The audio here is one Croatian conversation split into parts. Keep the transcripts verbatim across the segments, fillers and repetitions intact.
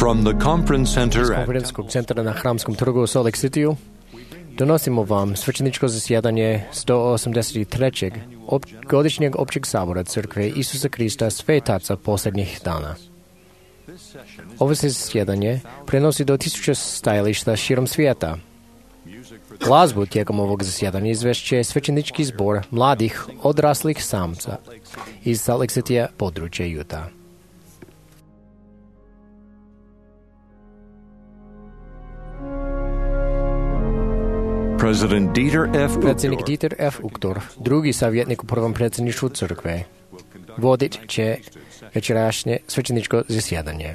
From the conference center Iz at konferencijskog centra na Hramskom trgu u Salt Lake Cityu donosimo vam svećeničko zasjedanje sto osamdeset trećeg op- godišnjeg općeg sabora Crkve Isusa Krista Svetaca posljednjih dana. Ovo se zasjedanje prenosi do tisuća stajališta širom svijeta. Glazbu tijekom ovog zasjedanja izvešće svećenički zbor mladih odraslih samca iz Salt Lake Citya, područja Utah. President Dieter F. Predsjednik Uchtdorf, Dieter F. Uchtdorf, drugi savjetnik u prvom predsjedništvu crkve, vodit će večerašnje svećeničko zasjedanje.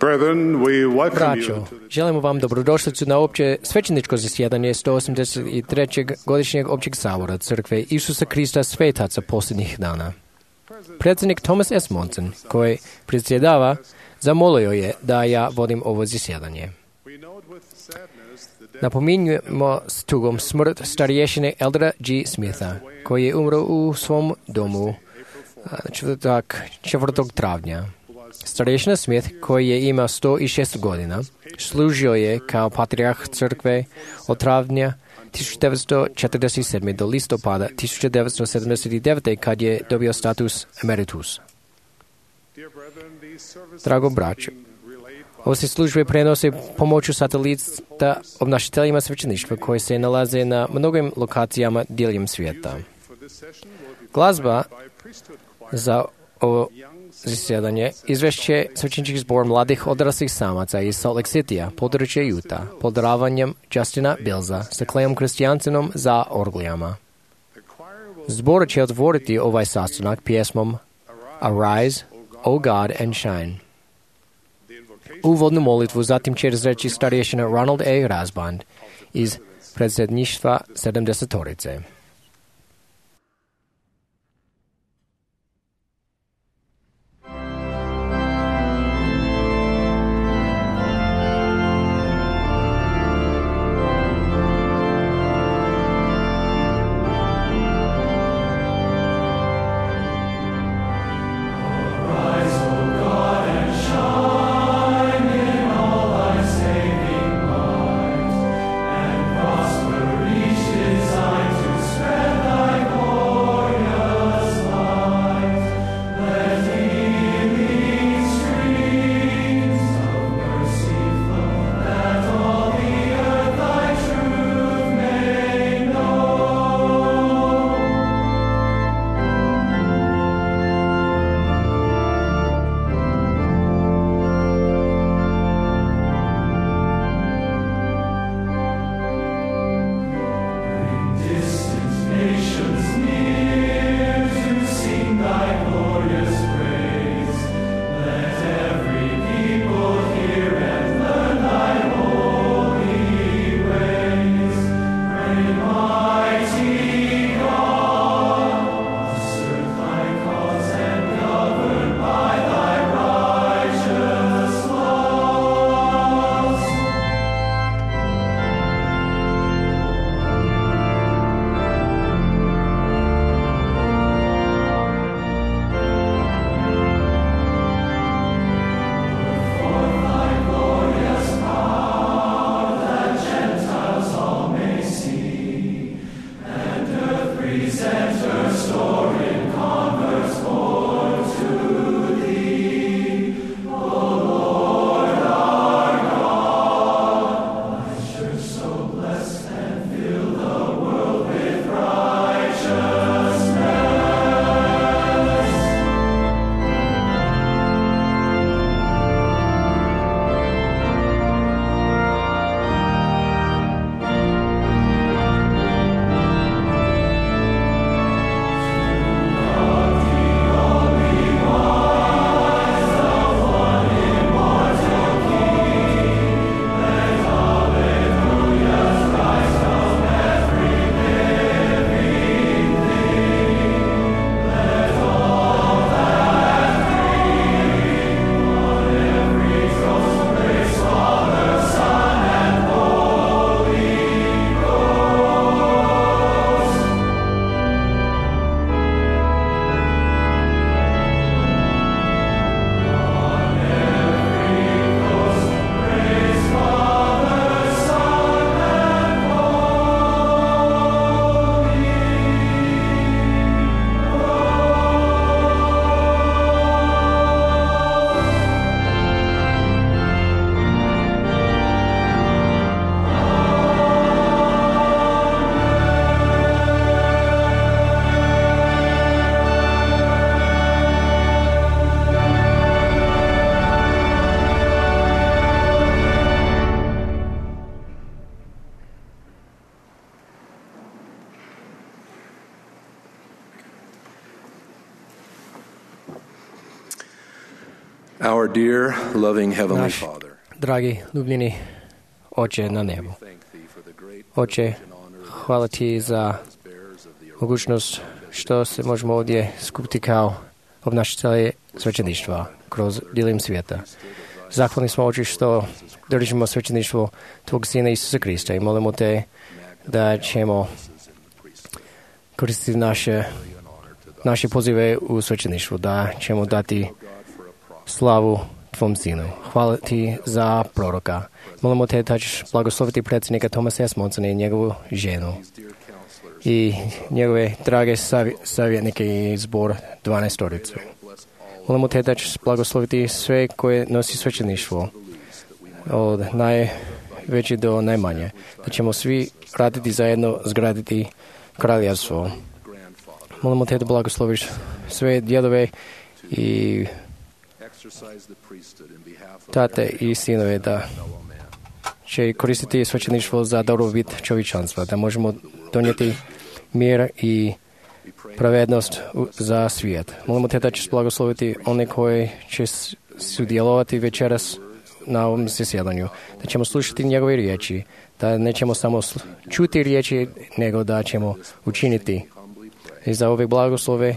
Brethren, we welcome you Braćo, to the želimo vam dobrodošlicu na opće svećeničko zasjedanje sto osamdeset trećeg godišnjeg općeg sabora Crkve Isusa Krista Svetaca posljednjih dana. Predsjednik Thomas S. Monson, koji predsjedava, zamolio je da ja vodim ovo zasjedanje. We note with sadness the death Napominjemo s tugom smrt starješine Eldera G. Smitha, koji je umro u svom domu a, četvrtak, četvrtog travnja. Starješina Smith, koji je imao sto šest godina, služio je kao patrijarh crkve od travnja tisuću devetsto četrdeset sedme do listopada tisuću devetsto sedamdeset devete kad je dobio status emeritus. dear brethren, these services Drago braćo, being relayed by ove se službe prenose pomoću satelita obnašiteljima svećeništva koji se nalaze na mnogim lokacijama diljem svijeta. for this session will be Glazba by priesthood choir, za ovo young zasjedanje izvešće svećenički zbor mladih odraslih samaca iz Salt Lake Citya, područje Utah, pod ravanjem Justina Billsa sa Klejom Kristijansenom za orglijama. the choir will Zbor će otvoriti ovaj sastanak pjesmom Arise, O God, and Shine. the invocation Uvodnu molitvu zatim će izreći starješina Ronald A. Rasband iz predsjedništva sedamdesetorice. Prosper each design to Our dear, loving Heavenly Naš Father, dragi, ljubljeni Oče na nebu. thank Thee for the great Oče, hvala Ti za bearers of the mogućnost što se možemo ovdje skupiti kao obnašatelji svećeništva kroz dijelom svijeta. Zahvalni smo, Oče, što držimo svećeništvo Tvog Sina Isusa Krista i molimo Te da ćemo koristiti naše, naše pozive u svećeništvu, da ćemo dati slavu Tvom Sinu. Hvala Ti za proroka. Molimo Te da ćeš blagosloviti predsjednika Thomasa S. Monsona i njegovu ženu i njegove drage savj- savjetnike i zbor dvanaestoricu. Molimo Te da ćeš blagosloviti sve koje nosi svećeništvo, od najveće do najmanje, da ćemo svi raditi zajedno, zgraditi kraljevstvo. Molimo Te da blagosloviš sve djedove i tate i sinove, da će koristiti svećeništvo za dobrobit čovječanstva, da možemo donijeti mir i pravednost u- za svijet. Molimo Te da ćeš blagosloviti one koji će s- sudjelovati večeras na ovom zasjedanju, da ćemo slušati njegove riječi, da nećemo samo sl- čuti riječi, nego da ćemo učiniti. I za ove blagoslove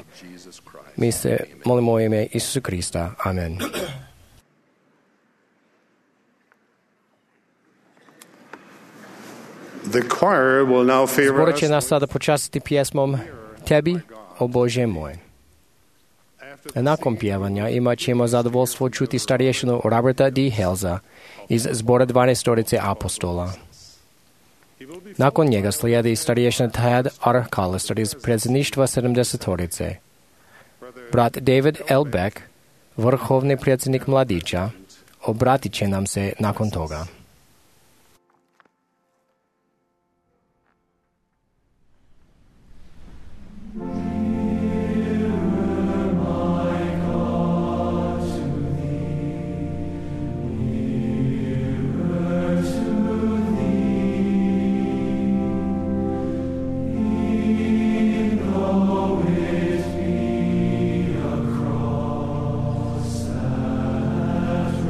mi se molimo u ime Isusa Krista. Amen. The choir will now favor Zbor us će nas sada počastiti pjesmom Tebi, o Bože moj. Nakon pjevanja imat ćemo zadovoljstvo čuti starješinu Roberta D. Helza iz zbora dvanaestorice apostola. Nakon njega slijedi starješina Tad R. Callister iz predsjedništva sedamdesetorice. Brat David L. Beck, vrhovni predsjednik mladića, obratit će nam se nakon toga.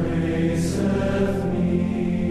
Raiseth me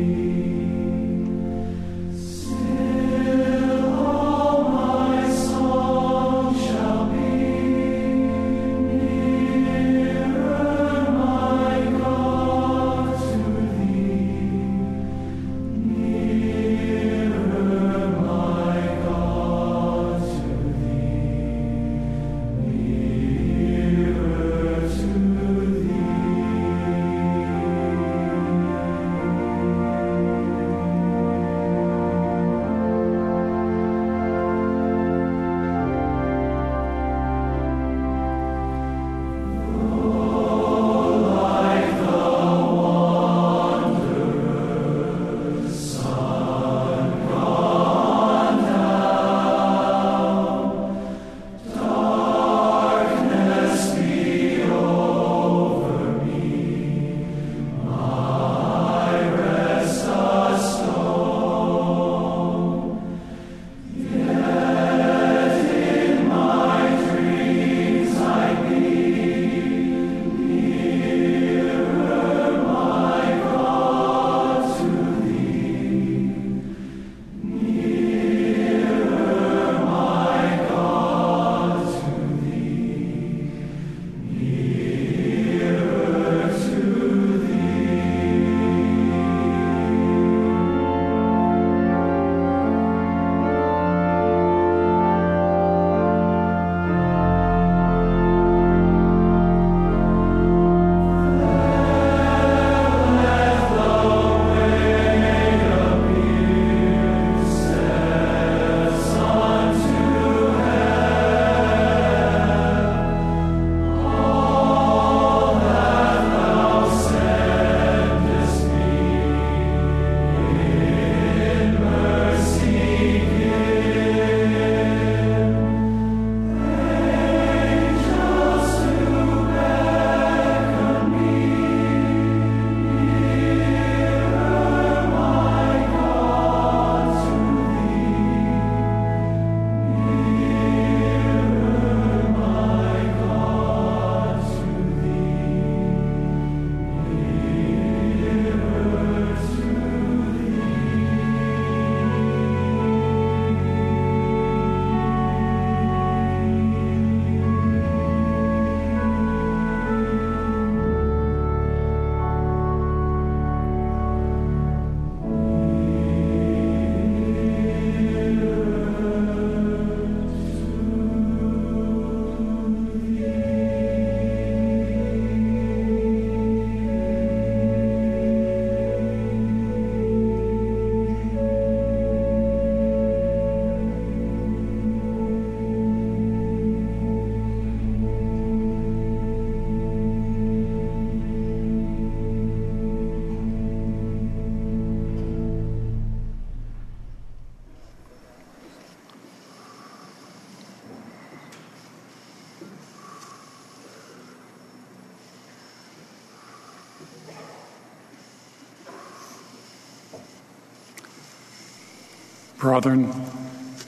Brethren,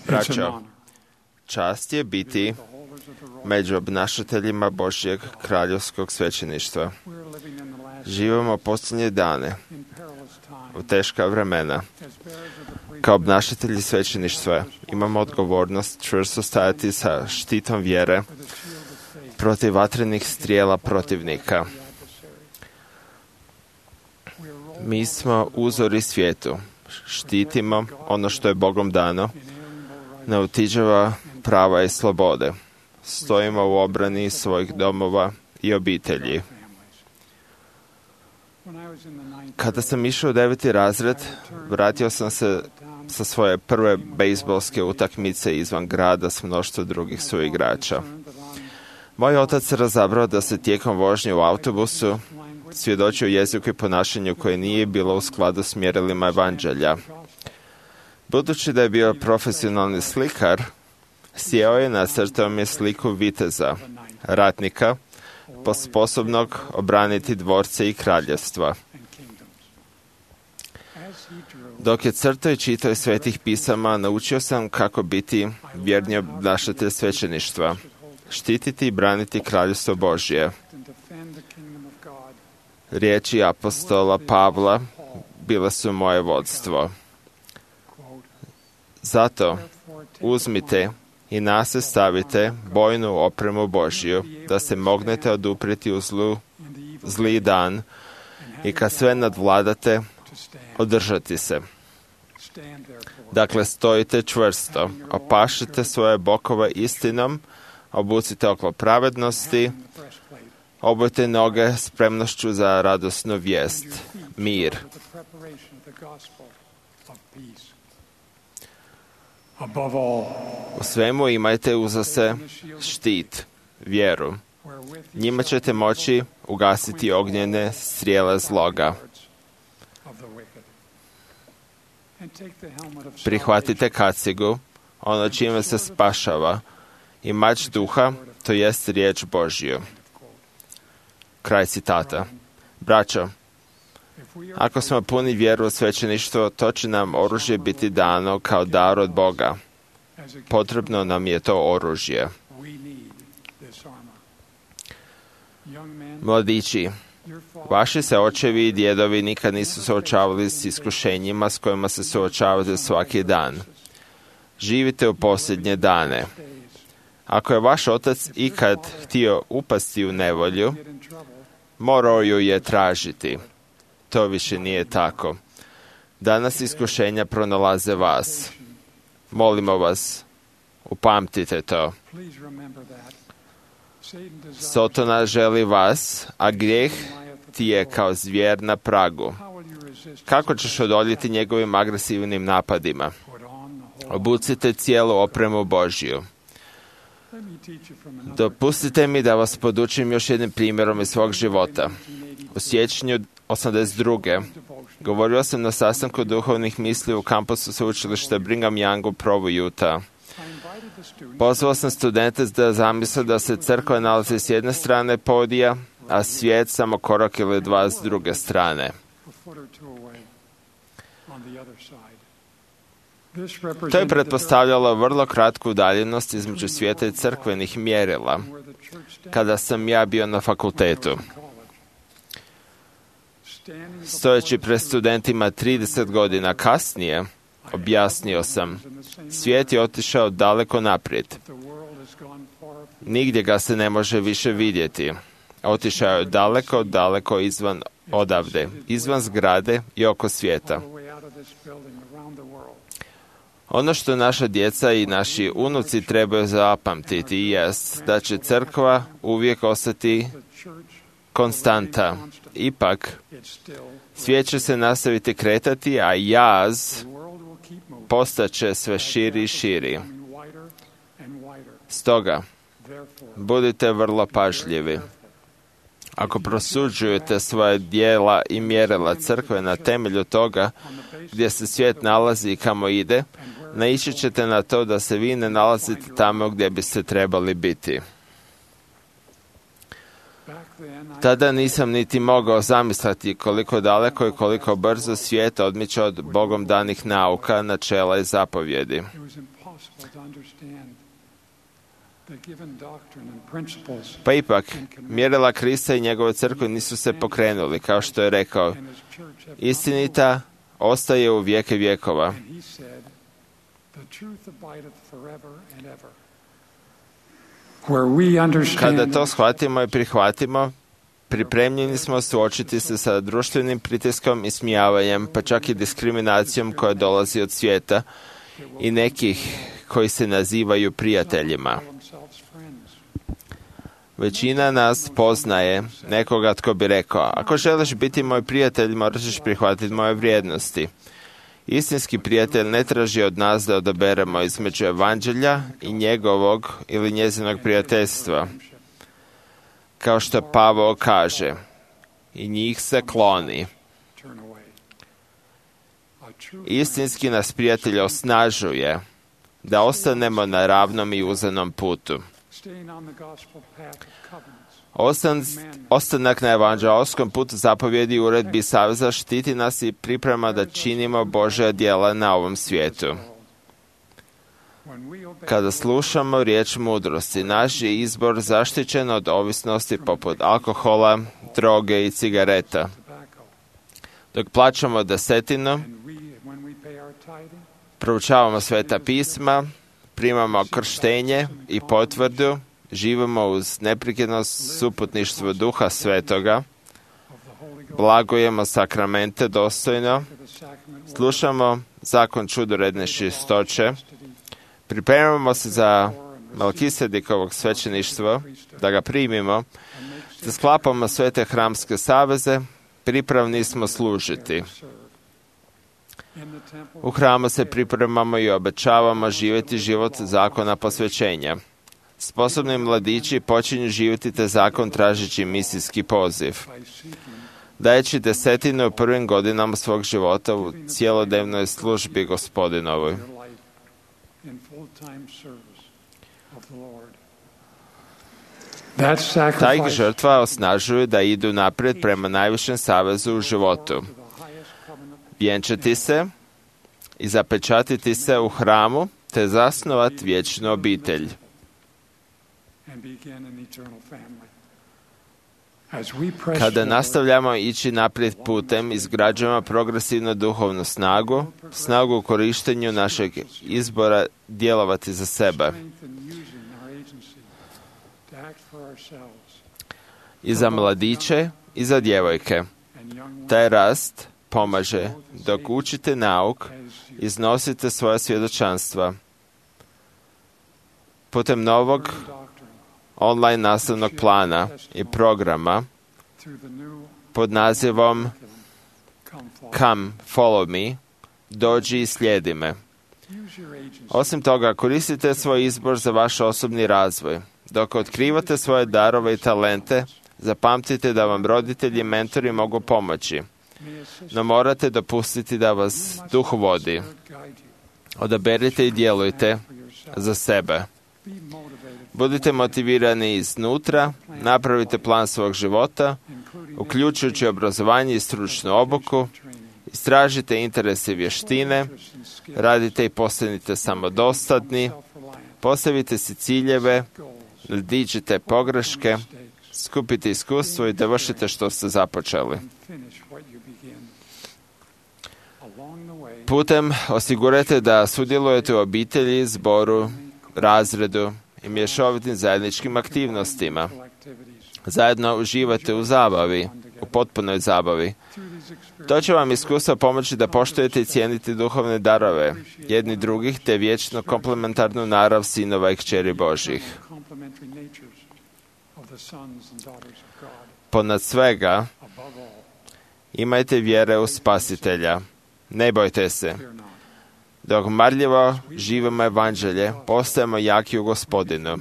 Braćo, čast je biti među obnašateljima Božjeg kraljevskog svećeništva. Živimo posljednje dane, u teška vremena. Kao obnašatelji svećeništva imamo odgovornost čvrsto stajati sa štitom vjere protiv vatrenih strijela protivnika. Mi smo uzori svijetu. Štitimo ono što je Bogom dano, neotuđiva prava i slobode. Stojimo u obrani svojih domova i obitelji. Kada sam išao u deveti razred, vratio sam se sa svoje prve bejzbolske utakmice izvan grada s mnoštvo drugih suigrača. Moj otac se razabrao da se tijekom vožnje u autobusu svjedočio jeziku i ponašanju koje nije bilo u skladu s mjerilima evanđelja. Budući da je bio profesionalni slikar, sjeo je, nacrtao mi sliku viteza, ratnika, sposobnog obraniti dvorce i kraljevstva. Dok je crtao i čitao iz svetih pisama, naučio sam kako biti vjerni obnašatelj svećeništva, štititi i braniti kraljevstvo Božje. Riječi apostola Pavla bile su moje vodstvo. Zato uzmite i na se stavite bojnu opremu Božju, da se mognete oduprijeti u zlu, zli dan i kad sve nadvladate, održati se. Dakle, stojite čvrsto, opašite svoje bokove istinom, obucite oklop pravednosti, obujte noge spremnošću za radosnu vijest, mir. U svemu imajte uza se štit, vjeru. Njima ćete moći ugasiti ognjene strijele zloga. Prihvatite kacigu, ono čime se spašava, i mač duha, to jest riječ Božju. Kraj citata. Braćo, ako smo puni vjeru u svećeništvo, to će nam oružje biti dano kao dar od Boga. Potrebno nam je to oružje. Mladići, vaši se očevi i djedovi nikad nisu suočavali s iskušenjima s kojima se suočavate svaki dan. Živite u posljednje dane. Ako je vaš otac ikad htio upasti u nevolju, morao ju je tražiti. To više nije tako. Danas iskušenja pronalaze vas. Molimo vas, upamtite to. Sotona želi vas, a grijeh ti je kao zvijer na pragu. Kako ćeš odoljeti njegovim agresivnim napadima? Obucite cijelu opremu Božju. Dopustite mi da vas podučim još jednim primjerom iz svog života. U siječnju osamdeset druge govorio sam na sastanku duhovnih misli u kampusu sveučilišta Brigham Young u Provu, Utah. Pozvao sam studente da zamisle da se crkva nalazi s jedne strane podija, a svijet samo korak ili dva s druge strane. To je pretpostavljalo vrlo kratku udaljenost između svijeta i crkvenih mjerila, kada sam ja bio na fakultetu. Stojeći pred studentima trideset godina kasnije, objasnio sam, svijet je otišao daleko naprijed. Nigdje ga se ne može više vidjeti. Otišao je daleko, daleko izvan odavde, izvan zgrade i oko svijeta. Ono što naša djeca i naši unuci trebaju zapamtiti jest da će crkva uvijek ostati konstanta. Ipak, svijet će se nastaviti kretati, a jaz postaće sve širi i širi. Stoga, budite vrlo pažljivi. Ako prosuđujete svoje djela i mjerila crkve na temelju toga gdje se svijet nalazi i kamo ide, naići ćete na to da se vi ne nalazite tamo gdje biste trebali biti. Tada nisam niti mogao zamisliti koliko daleko i koliko brzo svijet odmiče od Bogom danih nauka, načela i zapovjedi. Pa ipak, mjerila Krista i njegove crkve nisu se pokrenuli, kao što je rekao. Istinita ostaje u vijeke vjekova. Kada to shvatimo i prihvatimo, pripremljeni smo suočiti se sa društvenim pritiskom i smijavanjem, pa čak i diskriminacijom koja dolazi od svijeta i nekih koji se nazivaju prijateljima. Većina nas poznaje nekoga tko bi rekao, ako želiš biti moj prijatelj, moraš prihvatiti moje vrijednosti. Istinski prijatelj ne traži od nas da odaberemo između evanđelja i njegovog ili njezinog prijateljstva. Kao što Pavao kaže, i njih se kloni. Istinski nas prijatelj osnažuje da ostanemo na ravnom i uzanom putu. Ostan, ostanak na evanđeoskom putu zapovjedi i uredbi saveza štiti nas i priprema da činimo Božja djela na ovom svijetu. Kada slušamo riječ mudrosti, naš je izbor zaštićen od ovisnosti poput alkohola, droge i cigareta. Dok plaćamo desetinu, proučavamo sveta pisma, primamo krštenje i potvrdu, živimo uz neprekidno suputništvo Duha Svetoga, blagujemo sakramente dostojno, slušamo zakon čudoredne čistoće, pripremamo se za Melkisedekovog svećeništva, da ga primimo, da sklapamo svete hramske saveze, pripravni smo služiti. U hramu se pripremamo i obećavamo živjeti život zakona posvećenja. Sposobni mladići počinju živjeti te zakon tražeći misijski poziv. Dajeći desetinu u prvim godinama svog života u cijelodnevnoj službi Gospodinovoj. Ta ih žrtva osnažuje da idu naprijed prema najvišem savezu u životu. Vjenčati se i zapečatiti se u hramu, te zasnovati vječnu obitelj. Kada nastavljamo ići naprijed putem, izgrađujemo progresivnu duhovnu snagu, snagu u korištenju našeg izbora djelovati za sebe. I za mladiće i za djevojke. Taj rast pomaže dok učite nauk, iznosite svoja svjedočanstva. Putem novog online nastavnog plana i programa pod nazivom Come, Follow Me, dođi i slijedi me. Osim toga, koristite svoj izbor za vaš osobni razvoj. Dok otkrivate svoje darove i talente, zapamtite da vam roditelji i mentori mogu pomoći, no morate dopustiti da vas duh vodi. Odaberite i djelujte za sebe. Budite motivirani iznutra, napravite plan svog života, uključujući obrazovanje i stručnu obuku, istražite interese i vještine, radite i postanite samodostatni, postavite si ciljeve, nadiđite pogreške, skupite iskustvo i dovršite što ste započeli. Putem osigurajte da sudjelujete u obitelji, zboru, razredu i mješovitim zajedničkim aktivnostima. Zajedno uživate u zabavi, u potpunoj zabavi. To će vam iskustvo pomoći da poštujete i cijenite duhovne darove jedni drugih te vječno komplementarnu narav sinova i kćeri Božjih. Ponad svega, imajte vjere u Spasitelja. Ne bojte se. Dok marljivo živimo evanđelje, postajemo jaki u Gospodinu.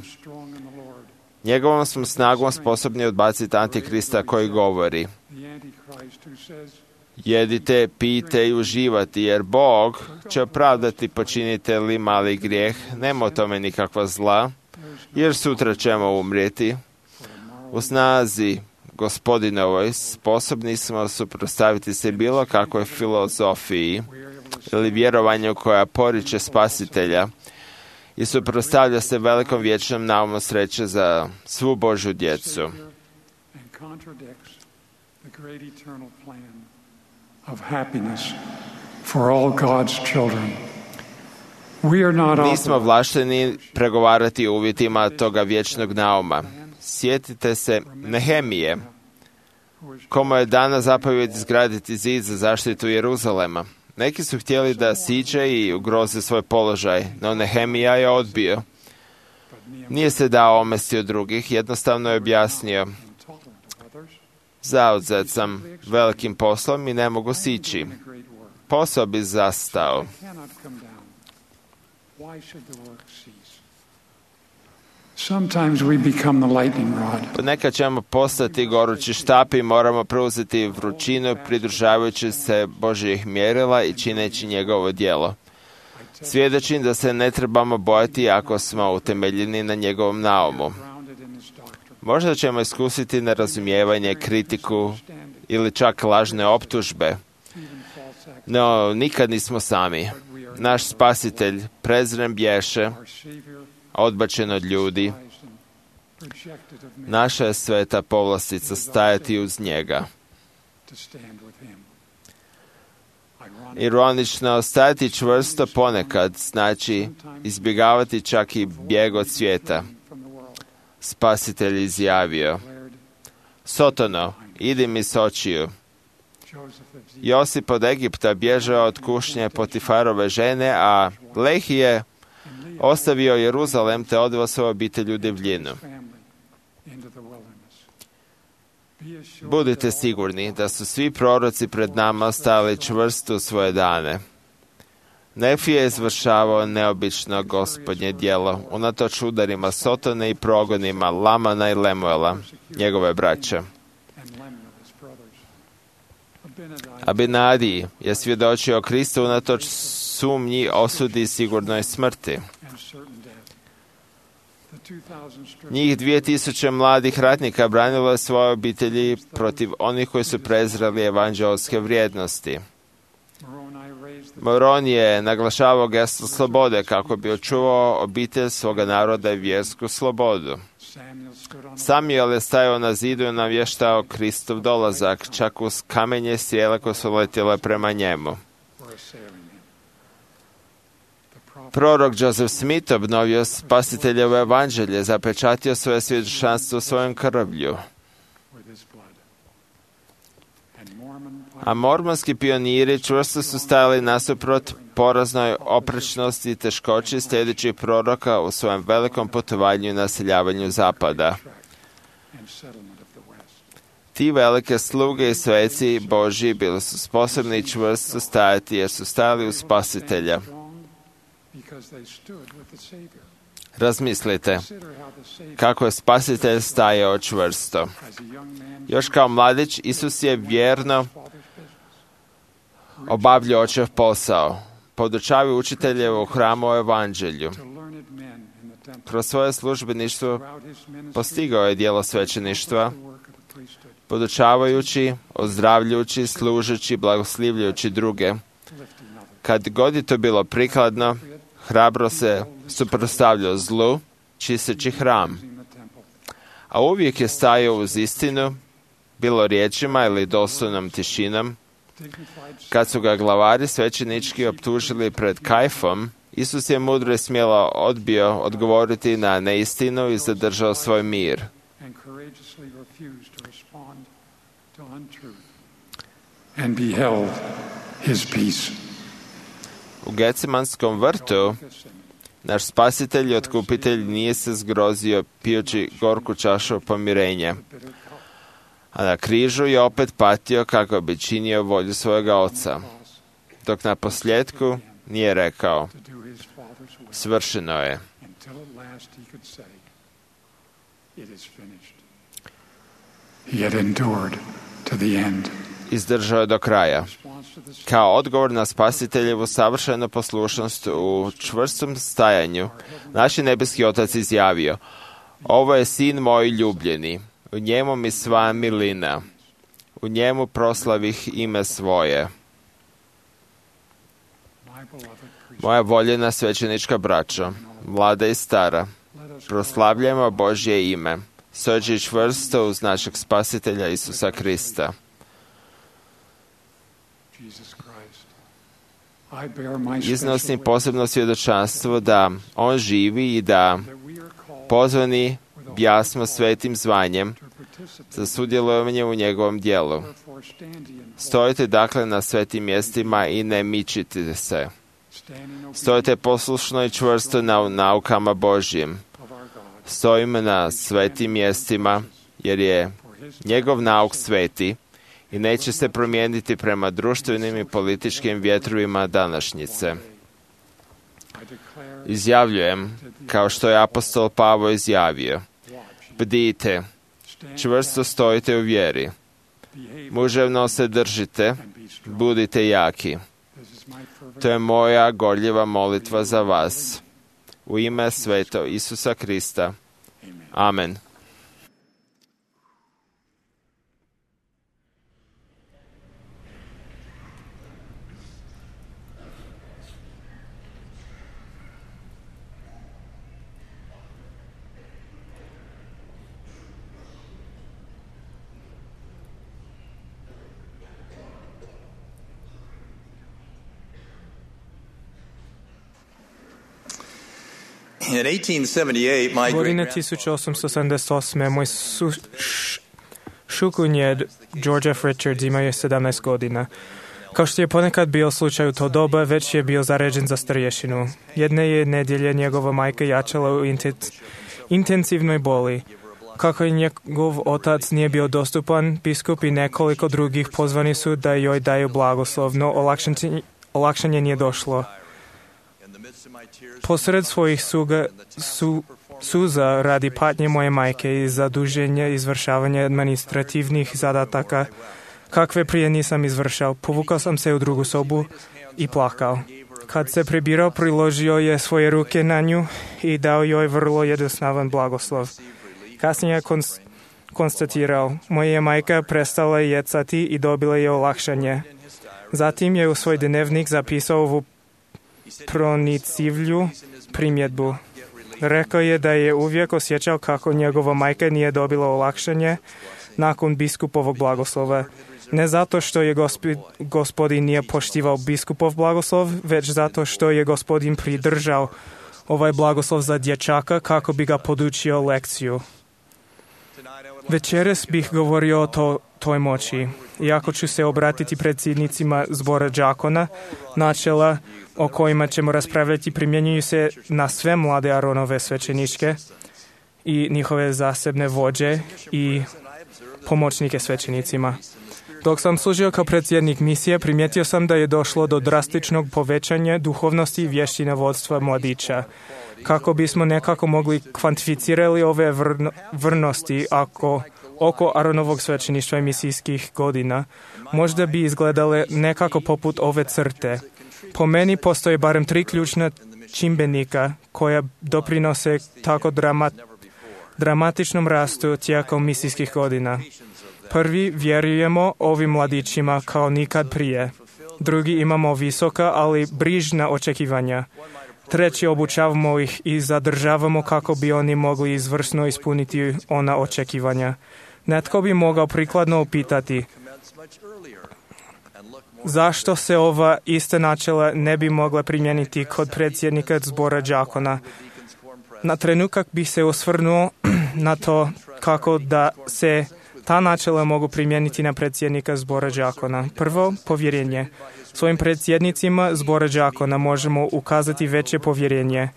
Njegovom smo snagom sposobni odbaciti Antikrista koji govori: jedite, pijte i uživati, jer Bog će opravdati počinite li mali grijeh, nema o tome nikakva zla, jer sutra ćemo umrijeti. U snazi Gospodinovoj sposobni smo suprotstaviti se bilo kakvoj filozofiji ili vjerovanju koja poriče Spasitelja i suprotstavlja se velikom vječnom naumu sreće za svu Božju djecu. Nismo vlašteni pregovarati o uvjetima toga vječnog nauma. Sjetite se Nehemije, komu je dana zapovjed izgraditi zid za zaštitu Jeruzalema. Neki su htjeli da siđe i ugroze svoj položaj, no Nehemija je odbio. Nije se dao omesti od drugih, jednostavno je objasnio: zauzet sam velikim poslom i ne mogu sići. Posao bi zastao. Ponekad ćemo postati gorući štap i moramo preuzeti vrućinu pridržavajući se Božjih mjerila i čineći njegovo djelo. Svjedočim da se ne trebamo bojati ako smo utemeljeni na njegovom naumu. Možda ćemo iskusiti nerazumijevanje, kritiku ili čak lažne optužbe, no nikad nismo sami. Naš Spasitelj prezren bješe, odbačen od ljudi. Naša je sveta povlastica stajati uz njega. Ironično, stajati čvrsto ponekad znači izbjegavati čak i bijeg od svijeta. Spasitelj izjavio: Sotono, idi mi s očiju. Josip od Egipta bježao od kušnje Potifarove žene, a Lehi je ostavio Jeruzalem te odveo svoju obitelj u divljinu. Budite sigurni da su svi proroci pred nama stali čvrsto u svoje dane. Nefi je izvršavao neobično Gospodnje djelo, unatoč udarima Sotone i progonima Lamana i Lemuela, njegove braće. Abinadiji je svjedočio Kristu unatoč sumnji, osudi i sigurnoj smrti. Njih dvije tisuće mladih ratnika branilo je svoje obitelji protiv onih koji su prezreli evanđelske vrijednosti. Moron je naglašavao gesto slobode kako bi očuvao obitelj svoga naroda i vjersku slobodu. Samuel je stajao na zidu i navještao Kristov dolazak, čak uz kamenje i strijele koje su letjele prema njemu. Prorok Joseph Smith obnovio Spasiteljevo evanđelje, zapečatio svoje svjedočanstvo svojom krvlju. A mormonski pioniri čvrsto su stajali nasuprot poraznoj oprečnosti i teškoći sljedećih proroka u svojem velikom putovanju i naseljavanju zapada. Ti velike sluge i sveci Božji bili su sposobni čvrsto stajati jer su stajali uz Spasitelja. Razmislite kako je Spasitelj stajao čvrsto. Još kao mladić Isus je vjerno obavljao očev posao, podučavao učitelje u hramu o evanđelju. Kroz svoje službeništvo postigao je djelo svećeništva, podučavajući, ozdravljajući, služeći, blagoslivljajući druge. Kad god je to bilo prikladno, hrabro se suprotstavljao zlu, čisteći hram. A uvijek je stajao uz istinu, bilo riječima ili doslovnom tišinom. Kad su ga glavari svećenički optužili pred Kajfom, Isus je mudro i smjelo odbio odgovoriti na neistinu i zadržao svoj mir. U Gecemanskom vrtu naš Spasitelj i Otkupitelj nije se zgrozio pijući gorku čašu pomirenja, a na križu je opet patio kako bi činio volju svojega Oca, dok na posljedku nije rekao: svršeno je. Izdržao je do kraja. Kao odgovor na Spasiteljevu savršenu poslušnost u čvrstom stajanju, naš nebeski Otac izjavio: ovo je sin moj ljubljeni, U njemu mi sva milina. U njemu proslavih ime svoje. Moja voljena svećenička braćo, mlada i stara, proslavljajmo Božje ime, stojeći čvrsto uz našeg Spasitelja Isusa Krista. Iznosim posebno svjedočanstvo da On živi i da pozvani bjasmo svetim zvanjem za sudjelovanje u njegovom djelu. Stojite dakle na svetim mjestima i ne mičite se. Stojite poslušno i čvrsto na naukama Božjim. Stojimo na svetim mjestima jer je njegov nauk sveti i neće se promijeniti prema društvenim i političkim vjetrovima današnjice. Izjavljujem, kao što je apostol Pavao izjavio, bdijte, čvrsto stojite u vjeri, muževno se držite, budite jaki. To je moja gorljiva molitva za vas. U ime sveto Isusa Krista. Amen. Godine tisuće osamsto sedamdeset osam. moj su, š, šukunjed George F. Richards imao je sedamnaest godina. Kao što je ponekad bio slučaj u to doba, već je bio zaređen za starješinu. Jedne je nedjelje njegova majka jačala u inten- intenzivnoj boli. Kako je njegov otac nije bio dostupan, biskup i nekoliko drugih pozvani su da joj daju blagoslov, no olakšanje, olakšanje nije došlo. Posred svojih suga, su, suza radi patnje moje majke i zaduženja izvršavanja administrativnih zadataka, kakve prije nisam izvršao, povukao sam se u drugu sobu i plakao. Kad se prebirao, priložio je svoje ruke na nju i dao joj vrlo jednostavan blagoslov. Kasnije je konst, konstatirao, moja je majka prestala jecati i dobila je olakšanje. Zatim je u svoj dnevnik zapisao ovu pronicivlju primjedbu. Rekao je da je uvijek osjećao kako njegova majka nije dobila olakšanje nakon biskupovog blagoslova. Ne zato što je gospi, gospodin nije poštivao biskupov blagoslov, već zato što je gospodin pridržao ovaj blagoslov za dječaka kako bi ga podučio lekciju. Večeras bih govorio o to, toj moći. Iako ću se obratiti predsjednicima zbora đakona, načela o kojima ćemo raspravljati primjenjuju se na sve mlade Aronove svećeničke i njihove zasebne vođe i pomoćnike svećenicima. Dok sam služio kao predsjednik misije, primijetio sam da je došlo do drastičnog povećanja duhovnosti i vještina vodstva mladića. Kako bismo nekako mogli kvantificirati ove vrno, vrnosti ako, oko Aronovog svećeništva i misijskih godina, možda bi izgledale nekako poput ove crte. Po meni postoje barem tri ključna čimbenika koja doprinose tako dramat, dramatičnom rastu tijekom misijskih godina. Prvi, vjerujemo ovim mladićima kao nikad prije. Drugi, imamo visoka, ali brižna očekivanja. Treći, obučavamo ih i zadržavamo kako bi oni mogli izvrsno ispuniti ona očekivanja. Netko bi mogao prikladno upitati, zašto se ova ista načela ne bi mogla primijeniti kod predsjednika zbora đakona? Na trenutak bi se osvrnuo na to kako da se ta načela mogu primijeniti na predsjednika zbora đakona. Prvo, povjerenje. Svojim predsjednicima zbora đakona možemo ukazati veće povjerenje.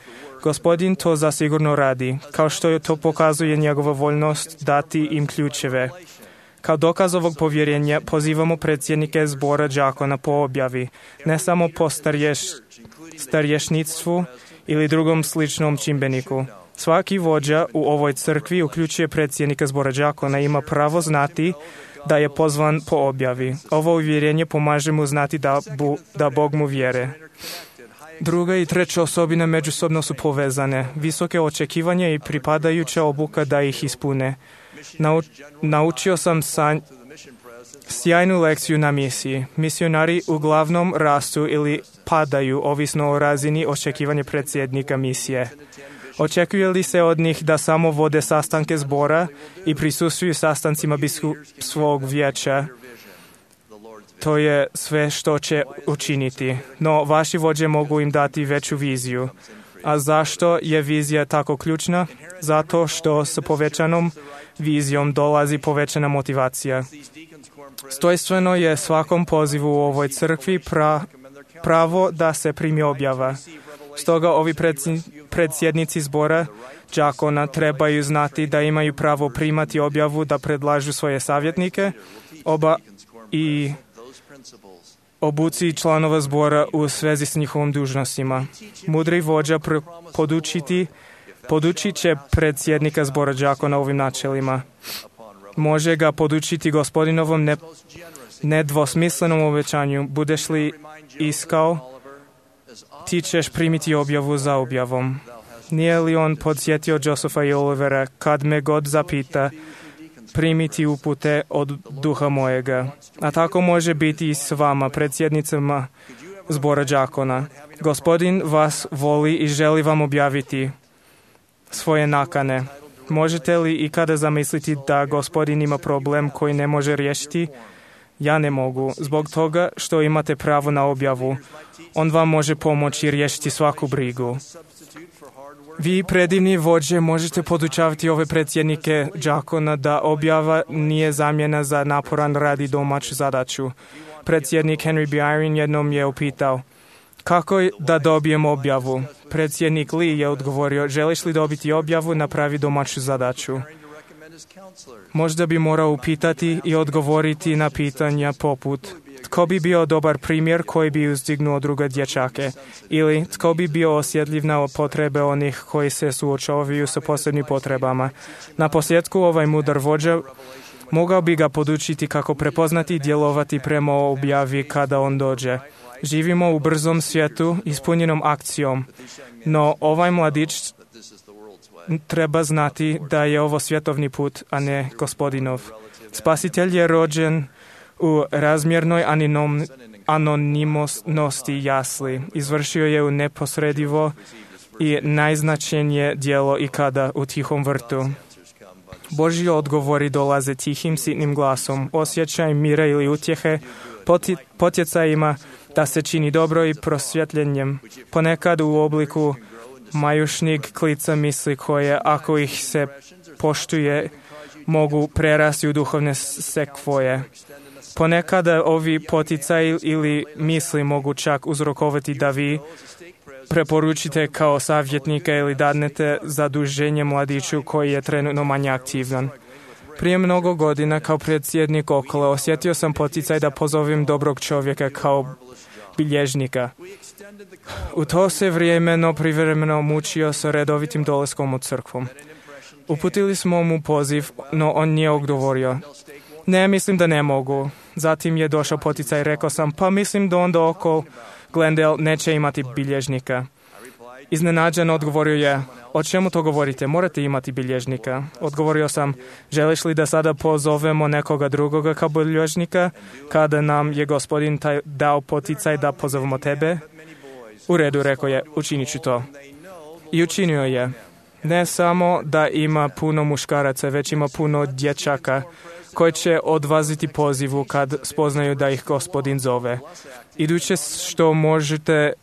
Gospodin to zasigurno radi, kao što je to pokazuje njegova voljnost dati im ključeve. Kao dokaz ovog povjerenja pozivamo predsjednike zbora đakona po objavi, ne samo po starješ, starješnictvu ili drugom sličnom čimbeniku. Svaki vođa u ovoj crkvi, uključuje predsjednika zbora đakona, ima pravo znati da je pozvan po objavi. Ovo uvjerenje pomaže mu znati da, bu, da Bog mu vjere. Druga i treća osobina međusobno su povezane. Visoke očekivanja i pripadajuća obuka da ih ispune. Nau, naučio sam sa, sjajnu lekciju na misiji. Misionari uglavnom rastu ili padaju, ovisno o razini očekivanja predsjednika misije. Očekuje li se od njih da samo vode sastanke zbora i prisustvuju sastancima biskupskog vijeća? To je sve što će učiniti. No, vaši vođe mogu im dati veću viziju. A zašto je vizija tako ključna? Zato što s povećanom vizijom dolazi povećana motivacija. Stojstveno je svakom pozivu u ovoj crkvi pra, pravo da se primi objava. Stoga ovi predsjednici zbora đakona trebaju znati da imaju pravo primati objavu, da predlažu svoje savjetnike, oba i obuci članova zbora u svezi s njihovom dužnostima. Mudri vođa podučiti, podučit će predsjednika zbora đakona ovim načelima. Može ga podučiti gospodinovom ne, nedvosmislenom obećanju. Budeš li iskao, ti ćeš primiti objavu za objavom. Nije li on podsjetio Josepha i Olivera, kad me god zapita, primiti upute od duha mojega. A tako može biti i s vama, predsjednicama zbora đakona. Gospodin vas voli i želi vam objaviti svoje nakane. Možete li ikada zamisliti da Gospodin ima problem koji ne može riješiti? Ja ne mogu, zbog toga što imate pravo na objavu. On vam može pomoći riješiti svaku brigu. Vi, predivni vođe, možete podučavati ove predsjednike đakona da objava nije zamjena za naporan rad i domaću zadaću. Predsjednik Henry B. Eyring jednom je upitao, kako da dobijem objavu? Predsjednik Lee je odgovorio, želiš li dobiti objavu, napravi domaću zadaću. Možda bi morao upitati i odgovoriti na pitanja poput tko bi bio dobar primjer koji bi uzdignuo druge dječake ili tko bi bio osjetljiv na potrebe onih koji se suočavaju sa posebnim potrebama. Na posljedku ovaj mudar vođa mogao bi ga podučiti kako prepoznati i djelovati prema objavi kada on dođe. Živimo u brzom svijetu ispunjenom akcijom, no ovaj mladić treba znati da je ovo svjetovni put, a ne Gospodinov. Spasitelj je rođen u razmjernoj aninom, anonimnosti jasli. Izvršio je u neposredivo i najznačajnije djelo ikada u tihom vrtu. Božji odgovori dolaze tihim, sitnim glasom, osjećaj mira ili utjehe, potjecajima da se čini dobro i prosvjetljenjem, ponekad u obliku majušnig klica misli koje, ako ih se poštuje, mogu prerasti u duhovne sekvoje. Ponekada ovi poticaji ili misli mogu čak uzrokovati da vi preporučite kao savjetnika ili dadnete zaduženje mladiću koji je trenutno manje aktivan. Prije mnogo godina kao predsjednik okolo osjetio sam poticaj da pozovem dobrog čovjeka kao bilježnika. U to se vrijemeno privremeno mučio sa redovitim dolaskom u crkvu. Uputili smo mu poziv, no on nije odgovorio. Ne, mislim da ne mogu. Zatim je došao poticaj, rekao sam, pa mislim da onda oko Glendale neće imati bilježnika. Iznenađen odgovorio je, o čemu to govorite, morate imati bilježnika. Odgovorio sam, želiš li da sada pozovemo nekoga drugoga kao bilježnika, kada nam je Gospodin taj dao poticaj da pozovemo tebe? U redu, rekao je, učinit ću to. I učinio je. Ne samo da ima puno muškaraca, već ima puno dječaka koji će odvaziti pozivu kad spoznaju da ih Gospodin zove. Iduće što možete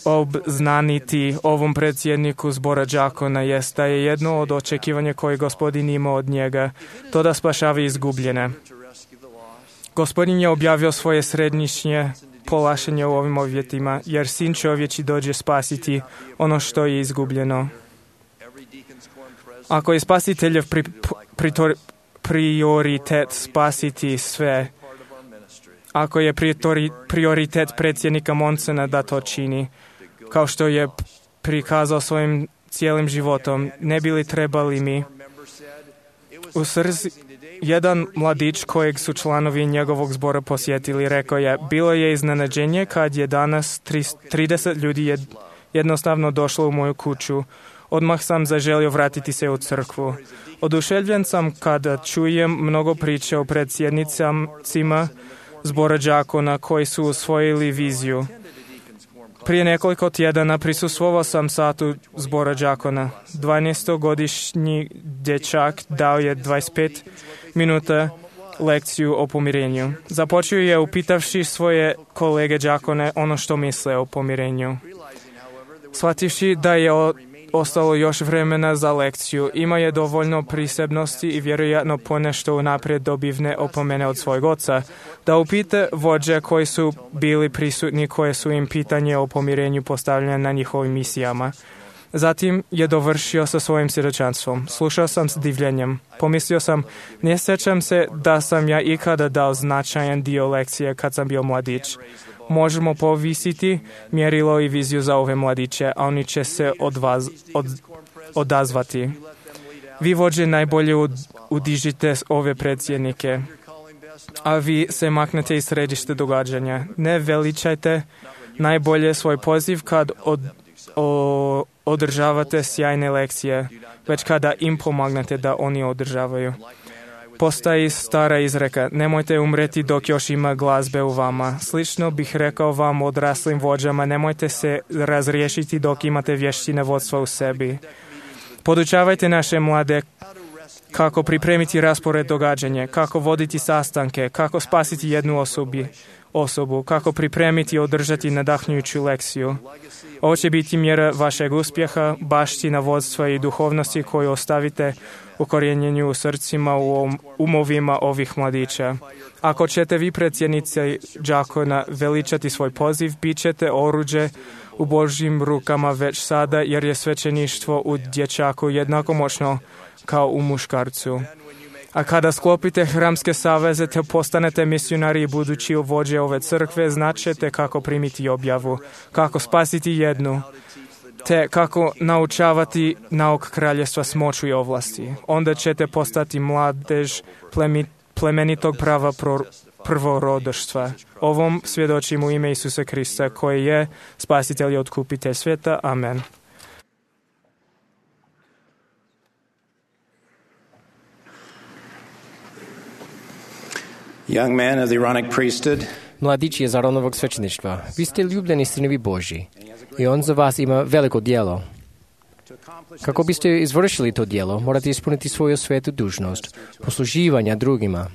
obznaniti ovom predsjedniku zbora đakona jest da je jedno od očekivanja koje Gospodin ima od njega, to da spašava izgubljene. Gospodin je objavio svoje središnje polašenje u ovim uvjetima, jer sin čovječi dođe spasiti ono što je izgubljeno. Ako je spasiteljev pri, pri, prioritet spasiti sve, ako je prioritet predsjednika Monsona da to čini, kao što je prikazao svojim cijelim životom, ne bi li trebali mi u srzi. Jedan mladić kojeg su članovi njegovog zbora posjetili rekao je, bilo je iznenađenje kad je danas trideset ljudi jednostavno došlo u moju kuću. Odmah sam zaželio vratiti se u crkvu. Oduševljen sam kada čujem mnogo priče o predsjednicama zbora đakona koji su usvojili viziju. Prije nekoliko tjedana prisustvovao sam satu zbora đakona. dvanaestogodišnji dječak dao je dvadeset pet minuta lekciju o pomirenju. Započeo je upitavši svoje kolege đakone ono što misle o pomirenju. Shvativši da je ostalo još vremena za lekciju, ima je dovoljno prisebnosti i vjerojatno ponešto unaprijed dobivne opomene od svojeg oca, da upite vođe koji su bili prisutni koje su im pitanje o pomirenju postavljene na njihovim misijama. Zatim je dovršio sa svojim svjedočanstvom. Slušao sam s divljenjem. Pomislio sam, ne sjećam se da sam ja ikada dao značajan dio lekcije kad sam bio mladić. Možemo povisiti mjerilo i viziju za ove mladiće, a oni će se od vas, od, odazvati. Vi vođe najbolje ud, udižite ove predsjednike, a vi se maknete iz središte događanja. Ne veličajte najbolje svoj poziv kad od, o, održavate sjajne lekcije, već kada im pomagnete da oni održavaju. Postoji stara izreka, nemojte umreti dok još ima glazbe u vama. Slično bih rekao vam odraslim vođama, nemojte se razriješiti dok imate vještine vodstva u sebi. Podučavajte naše mlade kako pripremiti raspored događanja, kako voditi sastanke, kako spasiti jednu osobi, osobu, kako pripremiti i održati nadahnjujuću lekciju. Ovo će biti mjera vašeg uspjeha, baština vodstva i duhovnosti koju ostavite ukorijenjenju u srcima, u umovima ovih mladića. Ako ćete vi predsjednici đakona veličati svoj poziv, bit ćete oruđe u Božjim rukama već sada, jer je svećeništvo u dječaku jednako moćno kao u muškarcu. A kada sklopite hramske saveze te postanete misionari i budući vođe ove crkve, značete kako primiti objavu, kako spasiti jednu, te kako naučavati nauk kraljevstva s moću i ovlasti. Onda ćete postati mladež plemi, plemenitog prava pro, prvorodoštva. Ovom svjedočim u ime Isusa Krista, koji je spasitelj i otkupitelj svijeta. Amen. Young man of the Aaronic priesthood, Mladić je za Aronovog svećeništva. Vi ste ljubljeni sinovi Božji i on za vas ima veliko djelo. Kako biste izvršili to djelo, morate ispuniti svoju svetu dužnost, posluživanja drugima.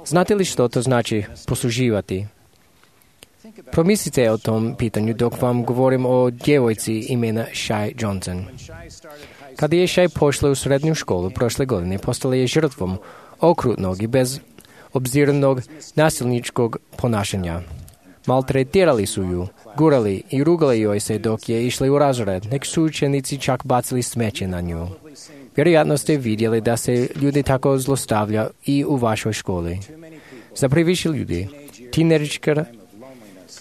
Znate li što to znači posluživati? Promislite o tom pitanju dok vam govorim o djevojci imena Shai Johnson. Kada je Shai pošla u srednju školu prošle godine, postala je žrtvom okrutnog i bez obzirnog nasilničkog ponašanja. Maltretirali su ju, gurali i rugali joj se dok je išla u razred. Neki su učenici čak bacili smeće na nju. Vjerojatno ste vidjeli da se ljudi tako zlostavlja i u vašoj školi. Za previše ljudi, tinejdžerska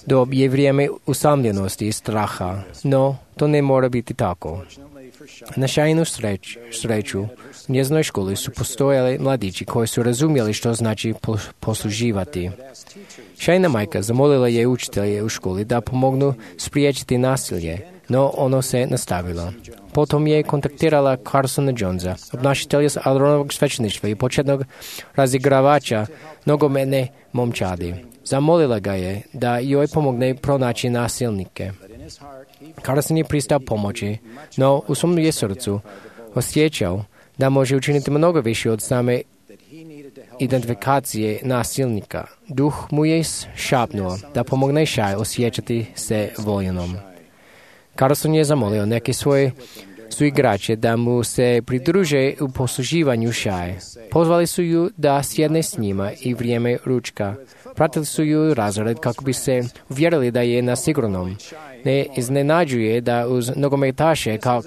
dob je vrijeme usamljenosti i straha, no to ne mora biti tako. Na Shainu sreć, sreću, u njezinoj školi su postojali mladići koji su razumjeli što znači posluživati. Shaina majka zamolila je učitelje u školi da pomognu spriječiti nasilje, no ono se nastavilo. Potom je kontaktirala Carsona Jonesa, obnašitelja Aronovog svećeništva i početnog razigravača nogometne momčadi. Zamolila ga je da joj pomogne pronaći nasilnike. Carson je pristao pomoći, no u svom je srcu osjećao da može učiniti mnogo više od same identifikacije nasilnika. Duh mu je šapnuo da pomogne Shai osjećati se voljenom. Carson je zamolio neke svoje suigrače da mu se pridruže u posluživanju Shai. Pozvali su ju da sjedne s njima i vrijeme ručka. Pratili su ju razred kako bi se uvjerili da je na sigurnom. Ne iznenađuje da uz nogometaše kao,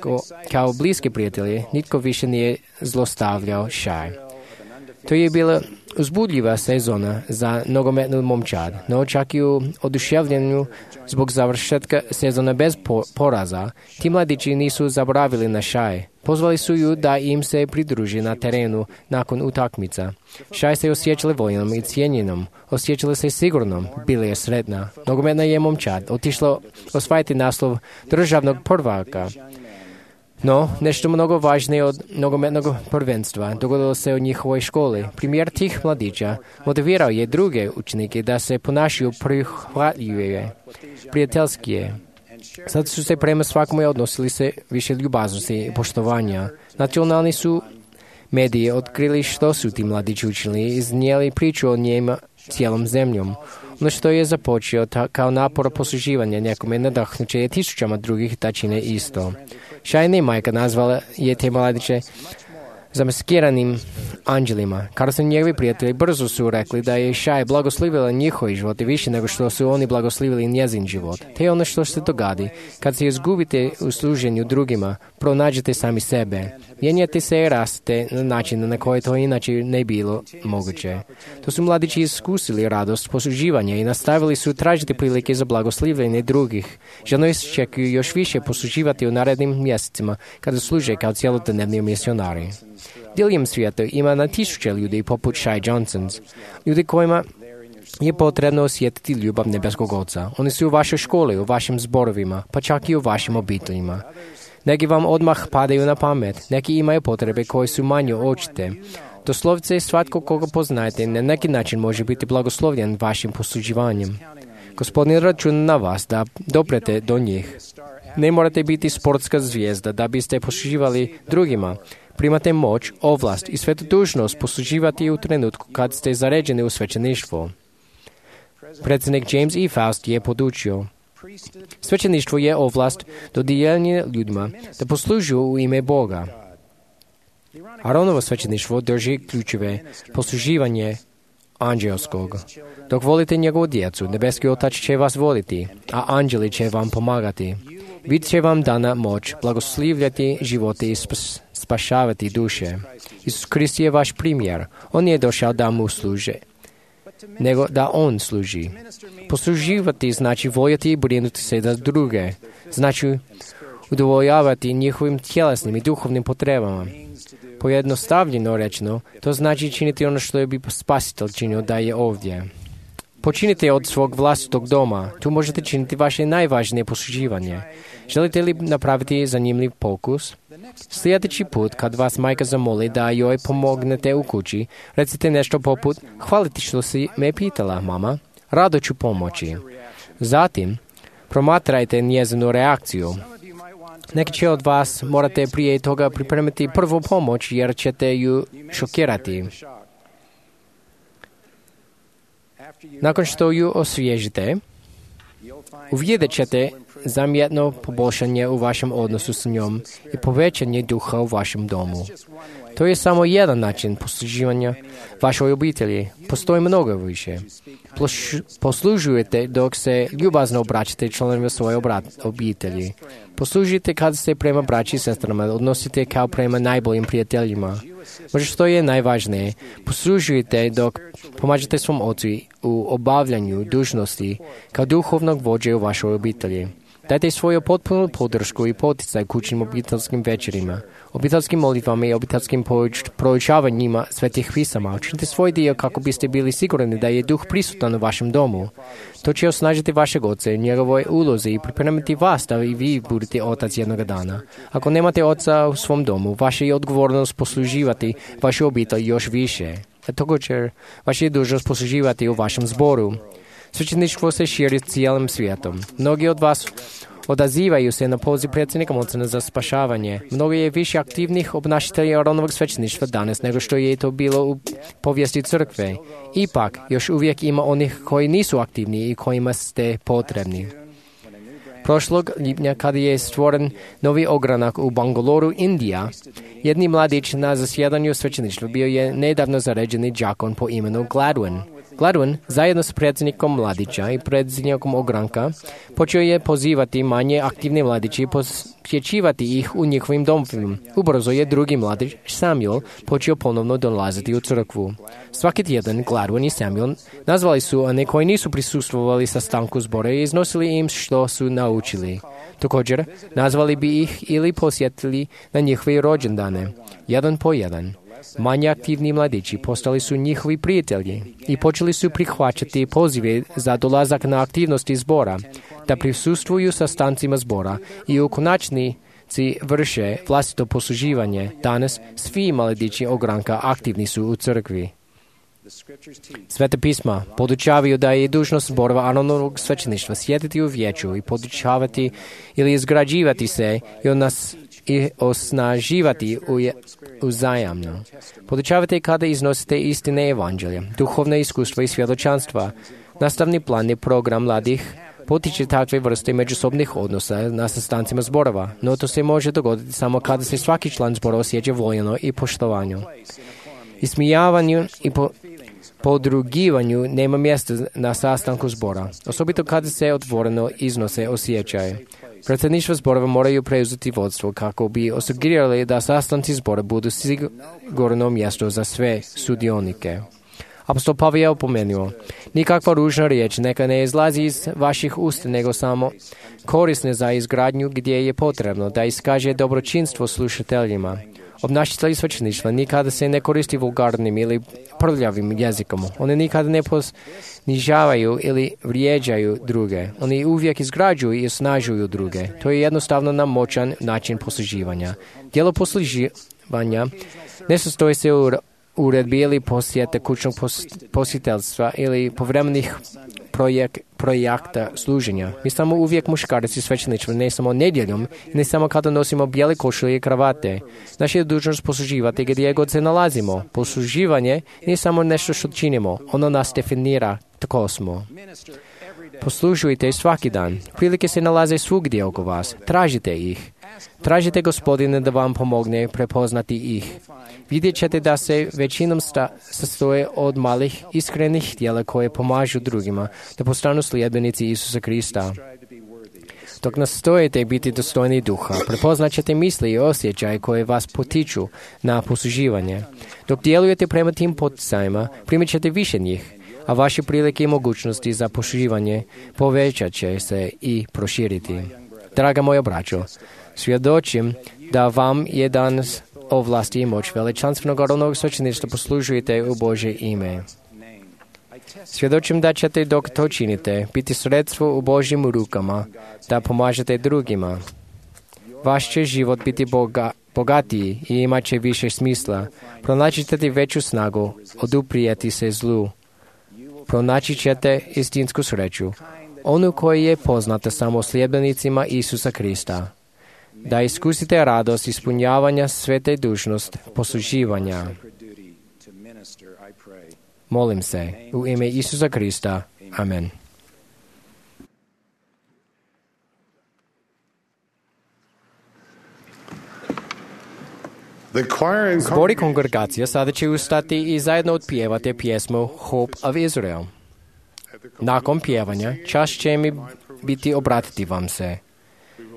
kao bliski prijatelji nitko više nije zlostavljao Shai. To je bila uzbudljiva sezona za nogometnu momčad, no čak i u oduševljenju zbog završetka sezona bez poraza, ti mladići nisu zaboravili na Shai. Pozvali su ju da im se pridruži na terenu nakon utakmica. Shai se osjećala voljenom i cijenjenom, osjećala se sigurnom, bila je sretna. Nogometna je momčad otišla osvajati naslov državnog prvaka. No, nešto mnogo važnije od nogometnog prvenstva dogodilo se u njihovoj školi. Primjer tih mladića motivirao je druge učenike da se ponašaju prihvatljivije, prijateljskije. Sad su se prema svakome odnosili se više ljubaznosti i poštovanja. Nacionalni su mediji otkrili što su ti mladići učili i iznijeli priču o njima cijelom zemljom. Ono što je započeo ta, kao napor posluživanja nekome nadahnuće je tisućama drugih da čine isto. Šajna majka nazvala je te mladiće zamaskiranim anđelima. Carson i njegovi prijatelji brzo su rekli da je Šaj blagoslivila njihovi život više nego što su oni blagoslivili njezin život. Te je ono što se dogadi. Kad se izgubite u služenju drugima, pronađete sami sebe. Mijenjate se i rastete na način na koji to inače ne bilo moguće. To su mladići iskusili radost posluživanja i nastavili su tražiti prilike za blagoslivljenje drugih. Ženo iščekuju još više posluživati u narednim mjesecima kada služe kao cjelodnevni misionari. Diljem svijeta ima na tisuće ljudi poput Shai Johnsons, ljudi kojima je potrebno osjetiti ljubav nebeskog Oca. Oni su u vašoj školi, u vašim zborovima, pa čak i u vašim obiteljima. Neki vam odmah padaju na pamet, neki imaju potrebe koje su manje očite. Doslovce svatko koga poznajete na neki način može biti blagoslovljen vašim posluživanjem. Gospodin računa na vas da doprete do njih. Ne morate biti sportska zvijezda da biste posluživali drugima. Primate moć, ovlast i svetu dužnost posluživati u trenutku kad ste zaređeni u svećeništvo. Predsjednik James E. Faust je podučio. Svećeništvo je ovlast dodijeljena ljudima da poslužuju u ime Boga. Aaronovo svećeništvo drži ključeve posluživanje anđelskog. Dok volite njegovu djecu, nebeski Otac će vas voliti, a anđeli će vam pomagati. Bit će vam dana moć blagoslivljati živote i spas, spašavati duše. Isus Krist je vaš primjer. On nije došao da mu služe, nego da on služi. Posluživati znači voljeti i brinuti se za druge. Znači udovoljavati njihovim tjelesnim i duhovnim potrebama. Pojednostavljeno rečeno, to znači činiti ono što je bi spasitelj činio da je ovdje. Počinite od svog vlastitog doma. Tu možete činiti vaše najvažnije posluživanje. Želite li napraviti zanimljiv pokus? Sljedeći put, kad vas majka zamoli da joj pomognete u kući, recite nešto poput: hvala ti što si me pitala, mama. Rado ću pomoći. Zatim, promatrajte njezinu reakciju. Neki će od vas morate prije toga pripremiti prvu pomoć jer ćete ju šokirati. Nakon što ju osvježite, uvidjet ćete zamjetno poboljšanje u vašem odnosu s njom i povećanje duha u vašem domu. To je samo jedan način posluživanja vašoj obitelji. Postoji mnogo više. Poslužujete dok se ljubazno obraćate članovima svoje obitelji. Poslužite kad se prema braći i sestrama odnosite kao prema najboljim prijateljima. Možda što je najvažnije, poslužujete dok pomažete svom ocu u obavljanju dužnosti kao duhovnog vođe u vašoj obitelji. Dajte svoju potpunu podršku i poticaj kućnim obiteljskim večerima, obiteljskim molitvama i obiteljskim proučavanjima svetih pisama. Učinite svoj dio kako biste bili sigurni da je duh prisutan u vašem domu. To će osnažiti vašeg oca i njegovoj ulozi i pripremiti vas da i vi budete otac jednoga dana. Ako nemate oca u svom domu, vaša je odgovornost posluživati vašu obitelj još više. A također, vaša je dužnost posluživati u vašem zboru. Svećeništvo se širi cijelim svijetom. Mnogi od vas odazivaju se na poziv predsjednika Mocena za spašavanje. Mnogo je više aktivnih obnašitelja Aaronovog svećeništva danas nego što je to bilo u povijesti crkve. Ipak, još uvijek ima onih koji nisu aktivni i kojima ste potrebni. Prošlog lipnja, kada je stvoren novi ogranak u Bangaloru, Indija, jedni mladić na zasjedanju svećeništva bio je nedavno zaređeni đakon po imenu Gladwin. Gladwin, zajedno s predsjednikom mladića i predsjednikom ogranka, počeo je pozivati manje aktivne mladiće i posjećivati ih u njihovim domovima. Ubrzo je drugi mladić, Samuel, počeo ponovno dolaziti u crkvu. Svaki tjedan Gladwin i Samuel nazvali su one koji nisu prisustvovali sastanku zbora i iznosili im što su naučili. Također, nazvali bi ih ili posjetili na njihove rođendane, jedan po jedan. Manje aktivni mladići postali su njihovi prijatelji i počeli su prihvaćati pozive za dolazak na aktivnosti zbora, da prisustvuju sastancima zbora i u konačni svećenici vrše vlastito posluživanje. Danas svi mladići ogranka aktivni su u crkvi. Svete pisma podučavaju da je dužnost zborova anonimnog svećeništva sjediti u vijeću i podučavati ili izgrađivati se i, nas, i osnaživati uzajamno. Podučavate kada iznosite istine evanđelja, duhovne iskustva i svjedočanstva. Nastavni plan i program mladih potiče takve vrste međusobnih odnosa na sastancima zborova, no to se može dogoditi samo kada se svaki član zbora osjeća voljeno i poštovanju. Ismijavanju i po, podrugivanju nema mjesta na sastanku zbora, osobito kada se otvoreno iznose osjećaje. Predsjedništva zborova moraju preuzeti vodstvo kako bi osigurali da sastanci zbora budu sigurno mjesto za sve sudionike. Apostol Pavle je opomenuo, nikakva ružna riječ neka ne izlazi iz vaših usta, nego samo korisne za izgradnju gdje je potrebno da iskaže dobročinstvo slušateljima. Obnašatelji svećeništva nikada se ne koristi vulgarnim ili prljavim jezikom. Oni nikada ne ponižavaju ili vrijeđaju druge. Oni uvijek izgrađuju i osnažuju druge. To je jednostavno nam moćan način posluživanja. Djelo posluživanja ne sastoji se u uredbi ili posjete kućnog posjetiteljstva ili povremenih projek, projekta služenja. Mi samo uvijek muškarci svećeništva, ne samo nedjeljom, ne samo kada nosimo bijele košulje i kravate. Naša je dužnost posluživati gdje god se nalazimo. Posluživanje nije samo nešto što činimo, ono nas definira, tako smo. Poslužujte svaki dan. Prilike se nalaze svugdje oko vas. Tražite ih. Tražite Gospodine da vam pomogne prepoznati ih. Vidjet ćete da se većinom sta, sastoje od malih, iskrenih djela koje pomažu drugima da postanu sljedbenici Isusa Krista. Dok nastojite biti dostojni duha, prepoznat ćete misli i osjećaje koje vas potiču na posluživanje. Dok djelujete prema tim poticajima, primit ćete više njih, a vaše prilike i mogućnosti za posluživanje povećat će se i proširiti. Draga moja braćo, svjedočim da vam je danas ovlasti i moć veličanstvenog rodnog svećeništva poslužujete u Božje ime. Svjedočim da ćete dok to činite biti sredstvo u Božjim rukama da pomažete drugima. Vaš će život biti boga, bogatiji i imat će više smisla. Pronaći ćete veću snagu, oduprijeti se zlu. Pronaći ćete istinsku sreću, onu koja je poznata samo sljedbenicima Isusa Krista. Da iskusite radost ispunjavanja svete dužnost posluživanja. Molim se, u ime Isusa Krista. Amen. Zbor i kongregacija sada će ustati i zajedno otpjevati pjesmu Hope of Israel. Nakon pjevanja, čast će mi biti obratiti vam se.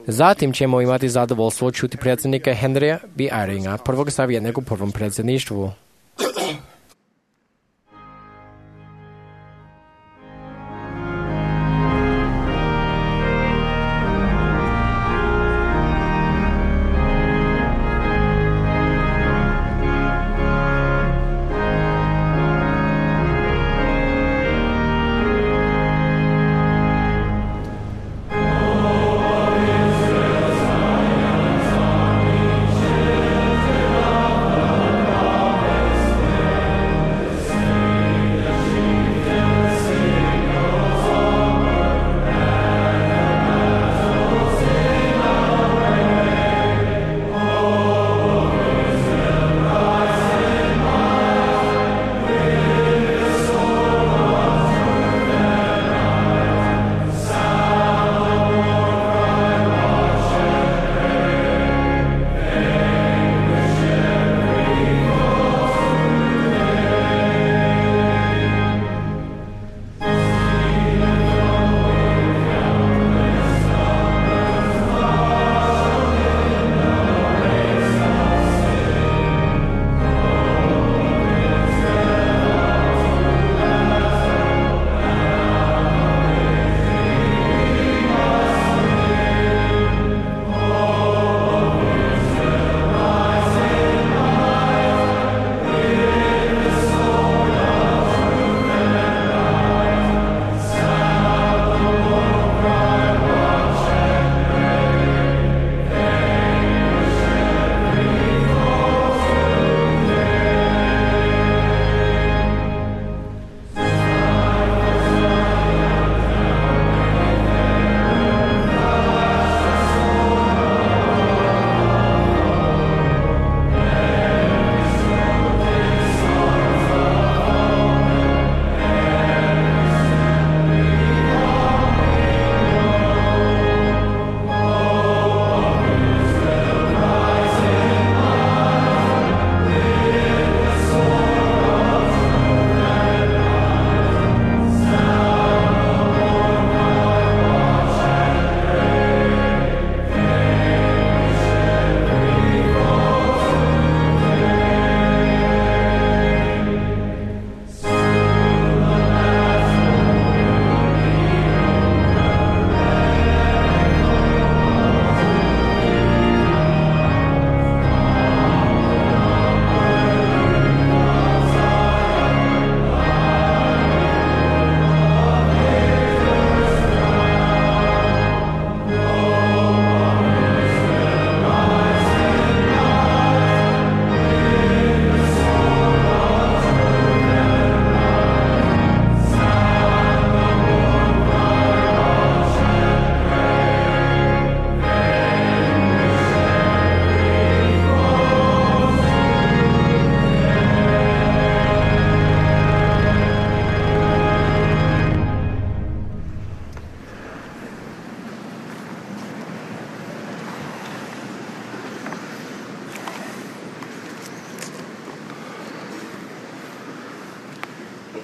Zatim ćemo imati zadovoljstvo čuti predsjednika Henrya B. Eyringa, prvog savjetnika u prvom predsjedništvu. Amen.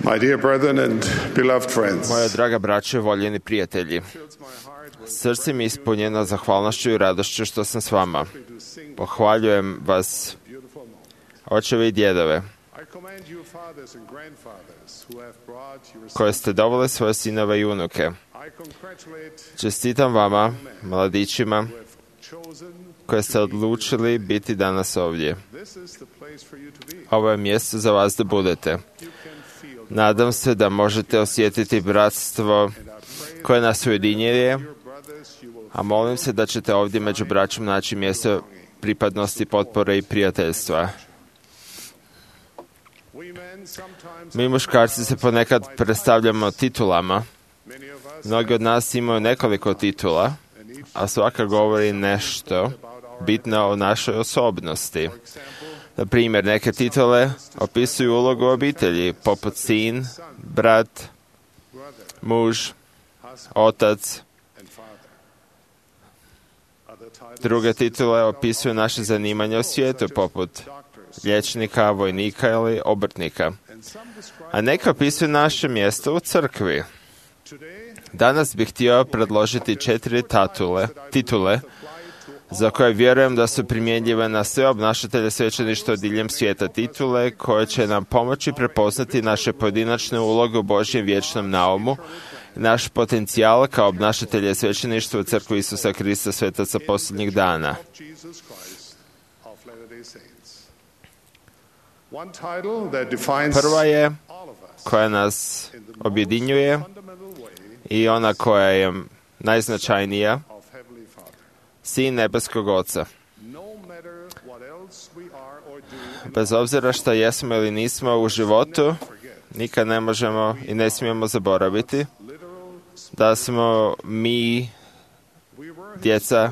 My dear brethren and beloved friends, Moja draga braćo i voljeni prijatelji, srce mi je ispunjeno zahvalnošću i radošću što sam s vama. Pohvaljujem vas, očeve i djedove, koje ste doveli svoje sinove i unuke. Čestitam vama, mladićima, koje ste odlučili biti danas ovdje. Ovo je mjesto za vas da budete. Nadam se da možete osjetiti bratstvo koje nas ujedinjuje, a molim se da ćete ovdje među braćom naći mjesto pripadnosti, potpore i prijateljstva. Mi muškarci se ponekad predstavljamo titulama. Mnogi od nas imaju nekoliko titula, a svaka govori nešto bitno o našoj osobnosti. Na primjer, neke titule opisuju ulogu obitelji, poput sin, brat, muž, otac. Druge titule opisuju naše zanimanje u svijetu, poput liječnika, vojnika ili obrtnika. A neke opisuju naše mjesto u crkvi. Danas bih htio predložiti četiri tatule, titule za koje vjerujem da su primjenjive na sve obnašatelje svećeništva diljem svijeta, titule koje će nam pomoći prepoznati naše pojedinačne uloge u Božjem vječnom naumu i naš potencijal kao obnašatelje svećeništva u crkvi Isusa Krista svetaca posljednjih dana. Prva je koja nas objedinjuje i ona koja je najznačajnija, sin nebeskog Oca. Bez obzira što jesmo ili nismo u životu, nikad ne možemo i ne smijemo zaboraviti da smo mi djeca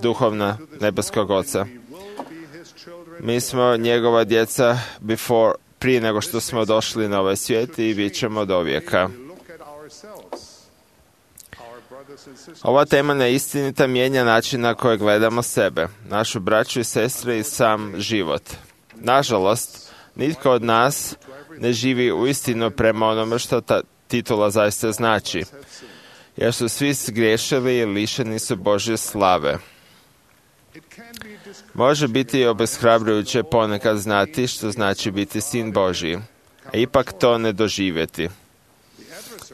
duhovna nebeskog Oca. Mi smo njegova djeca before, prije nego što smo došli na ovaj svijet i bit ćemo do vijeka. Ova tema neistinita mijenja način na koji gledamo sebe, našu braću i sestre i sam život. Nažalost, nitko od nas ne živi uistinu prema onome što ta titula zaista znači, jer su svi zgriješili i lišeni su Božje slave. Može biti obeshrabrujuće ponekad znati što znači biti sin Božji, a ipak to ne doživjeti.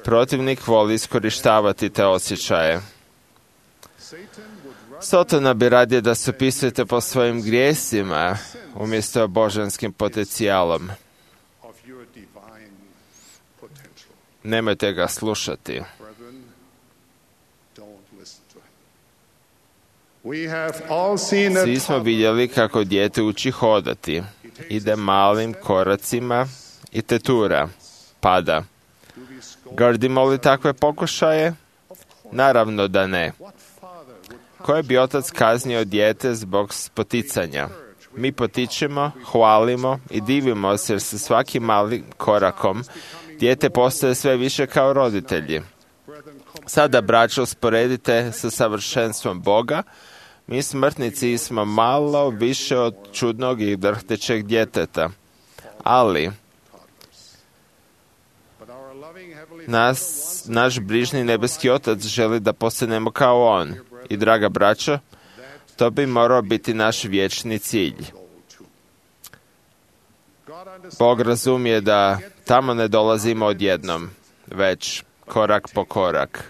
Protivnik voli iskorištavati te osjećaje. Sotona bi radije da se opisujete po svojim grijesima umjesto božanskim potencijalom. Nemojte ga slušati. Svi smo vidjeli kako dijete uči hodati. Ide malim koracima i tetura, pada. Grdimo li takve pokušaje? Naravno da ne. Koji bi otac kaznio dijete zbog poticanja? Mi potičemo, hvalimo i divimo se jer se svakim malim korakom dijete postaje sve više kao roditelji. Sada, braćo, usporedite sa savršenstvom Boga. Mi smrtnici smo malo više od čudnog i drhtećeg djeteta. Ali nas, naš brižni nebeski Otac želi da postanemo kao On. I, draga braćo, to bi morao biti naš vječni cilj. Bog razumije da tamo ne dolazimo odjednom, već korak po korak.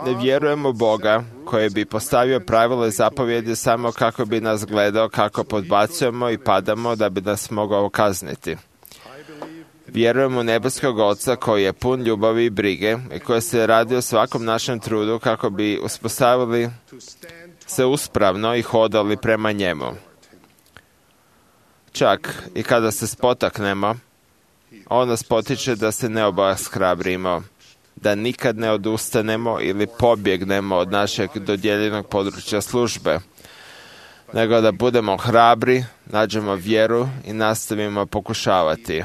Ne vjerujem u Boga koji bi postavio pravila i zapovjedi samo kako bi nas gledao kako podbacujemo i padamo da bi nas mogao kazniti. Vjerujem u nebeskog Oca koji je pun ljubavi i brige i koji se radi o svakom našem trudu kako bi uspostavili se uspravno i hodali prema njemu. Čak i kada se spotaknemo, on nas potiče da se ne obeshrabrimo, da nikad ne odustanemo ili pobjegnemo od našeg dodijeljenog područja službe, nego da budemo hrabri, nađemo vjeru i nastavimo pokušavati.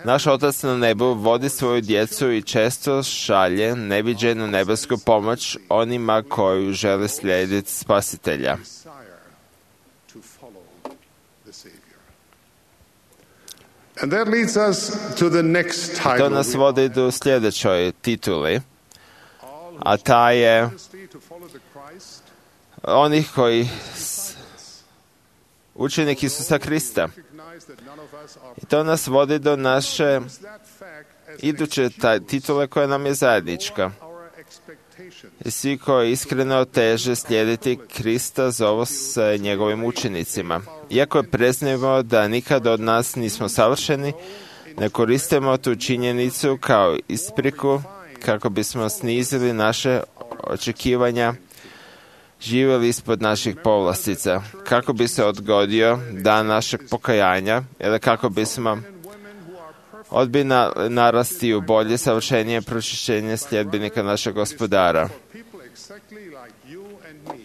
Naš Otac na nebu vodi svoju djecu i često šalje neviđenu nebesku pomoć onima koju žele slijediti Spasitelja. to follow the Savior. And that leads us to the next To title. nas vodi do sljedećoj tituli, a ta je To follow the Christ, onih koji s- učenik Isusa Krista. recognize that none of us are I to nas vodi do naše that fact as iduće ta- titule koja nam je zajednička. our expectations. I svi koji iskreno teže slijediti Krista zovu se njegovim učenicima. Iako priznajemo da nikad od nas nismo savršeni, ne koristimo tu činjenicu kao ispriku kako bismo snizili naše očekivanja, živjeli ispod naših povlastica, kako bi se odgodio dan našeg pokajanja ili kako bismo odbili na- narasti u bolje, savršenije pročišćenje sljedbenika našeg gospodara. People exactly like you and me.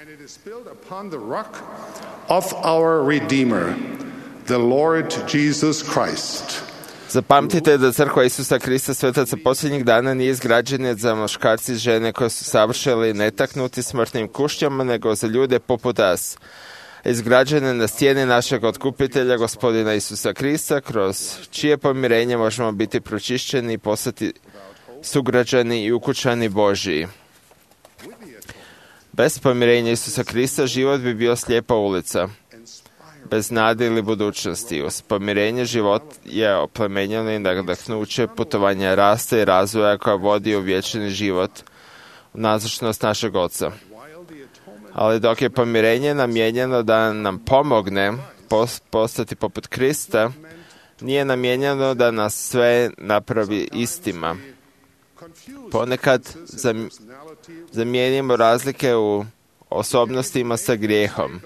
And it is built upon the rock of our Redeemer, the Lord Jesus Christ. Zapamtite da crkva Isusa Krista svetaca posljednjih dana nije izgrađena za muškarci i žene koji su savršili netaknuti smrtnim kušnjama, nego za ljude poput nas. Izgrađene na stijeni našeg otkupitelja, gospodina Isusa Krista, kroz čije pomirenje možemo biti pročišćeni i postati sugrađani i ukućani Božiji. Bez pomirenja Isusa Krista život bi bio slijepa ulica, bez nade ili budućnosti. Uz pomirenje život je oplemenjeno i nadahnuće putovanja rasta i razvoja koja vodi u vječni život, u nazočnost našeg Oca. Ali dok je pomirenje namijenjeno da nam pomogne pos- postati poput Krista, nije namijenjeno da nas sve napravi istima. Ponekad zam- zamijenimo razlike u osobnostima sa grijehom.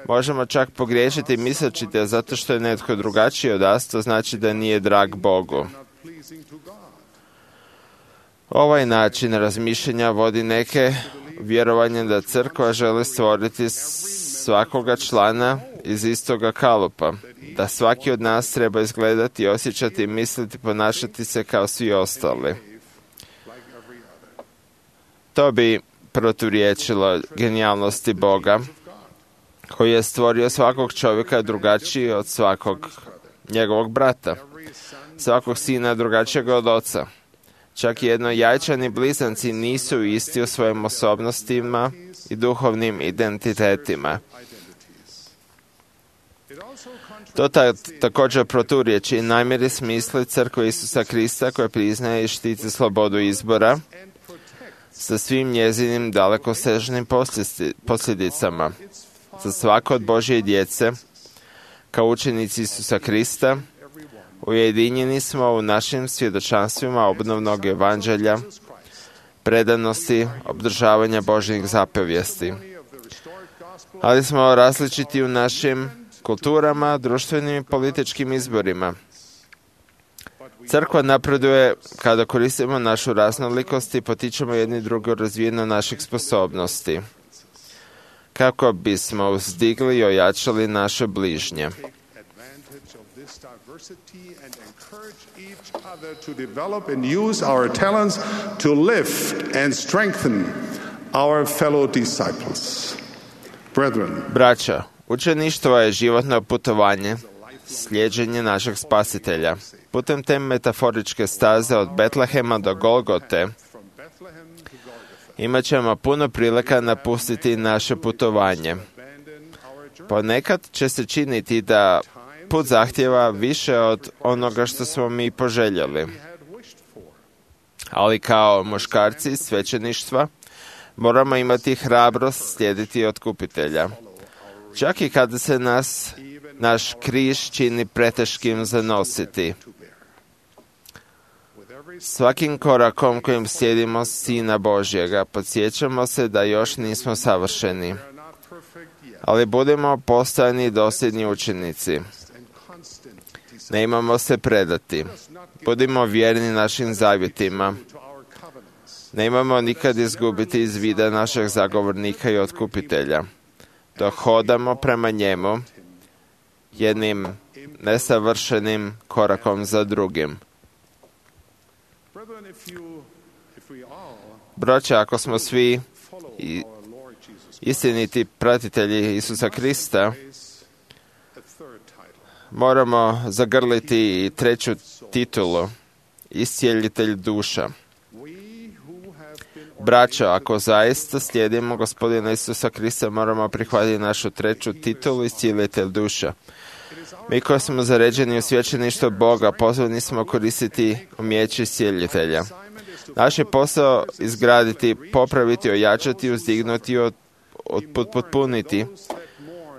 Možemo čak pogriješiti misleći da zato što je netko drugačiji od nas, to znači da nije drag Bogu. Ovaj način razmišljanja vodi neke vjerovanje da crkva želi stvoriti svakoga člana iz istoga kalupa, da svaki od nas treba izgledati, osjećati, misliti, ponašati se kao svi ostali. To bi proturječilo genijalnosti Boga, koji je stvorio svakog čovjeka drugačiji od svakog njegovog brata, svakog sina drugačijeg od oca. Čak i jednojajčani blizanci nisu isti u svojim osobnostima i duhovnim identitetima. To ta, također proturječi namjeri smisli crkve Isusa Krista koja priznaje i štiti slobodu izbora sa svim njezinim dalekosežnim posljedi- posljedicama. Za svako od Božje djece, kao učenici Isusa Krista, ujedinjeni smo u našim svjedočanstvima obnovnog evanđelja, predanosti, obdržavanja Božjih zapovijesti. Ali smo različiti u našim kulturama, društvenim i političkim izborima. Crkva napreduje kada koristimo našu raznolikost i potičemo jedni drugi u razvijenju naših sposobnosti, kako bismo uzdigli i ojačali naše bližnje. Advantage of this diversity and encourage each other to develop and use our talents to lift and strengthen our fellow disciples. Brethren, Braća, učeništvo je životno putovanje, slijeđenje našeg spasitelja. Putem te metaforičke staze od Betlehema do Golgote from Bethlehem to Golgotha, imat ćemo puno prilika napustiti naše putovanje. abandon our journey. Ponekad će se činiti da put zahtjeva više od onoga što smo mi poželjeli. had wished for. Ali kao muškarci svećeništva moramo imati hrabrost slijediti otkupitelja. Čak i kada se nas, naš križ čini preteškim za nositi. Svakim korakom kojim slijedimo Sina Božjega, podsjećamo se da još nismo savršeni. Ali budemo postojani i dosljedni učenici. Ne imamo se predati. Budimo vjerni našim zavjetima. Ne imamo nikad izgubiti iz vida našeg zagovornika i otkupitelja. Dok hodamo prema njemu, jednim nesavršenim korakom za drugim. Brethren, if you, if we all Braća, ako smo svi follow i our Lord Jesus istiniti pratitelji Isusa Krista, moramo zagrliti i treću titulu, iscijelitelj duša. Braćo, ako zaista slijedimo Gospodina Isusa Krista, moramo prihvatiti našu treću titulu, iscijelitelj duša. Mi koji smo zaređeni u svećeništvo Boga, pozvani smo koristiti umijeće iscijelitelja. Naš je posao izgraditi, popraviti, ojačati, uzdignuti, od, od, potpuniti.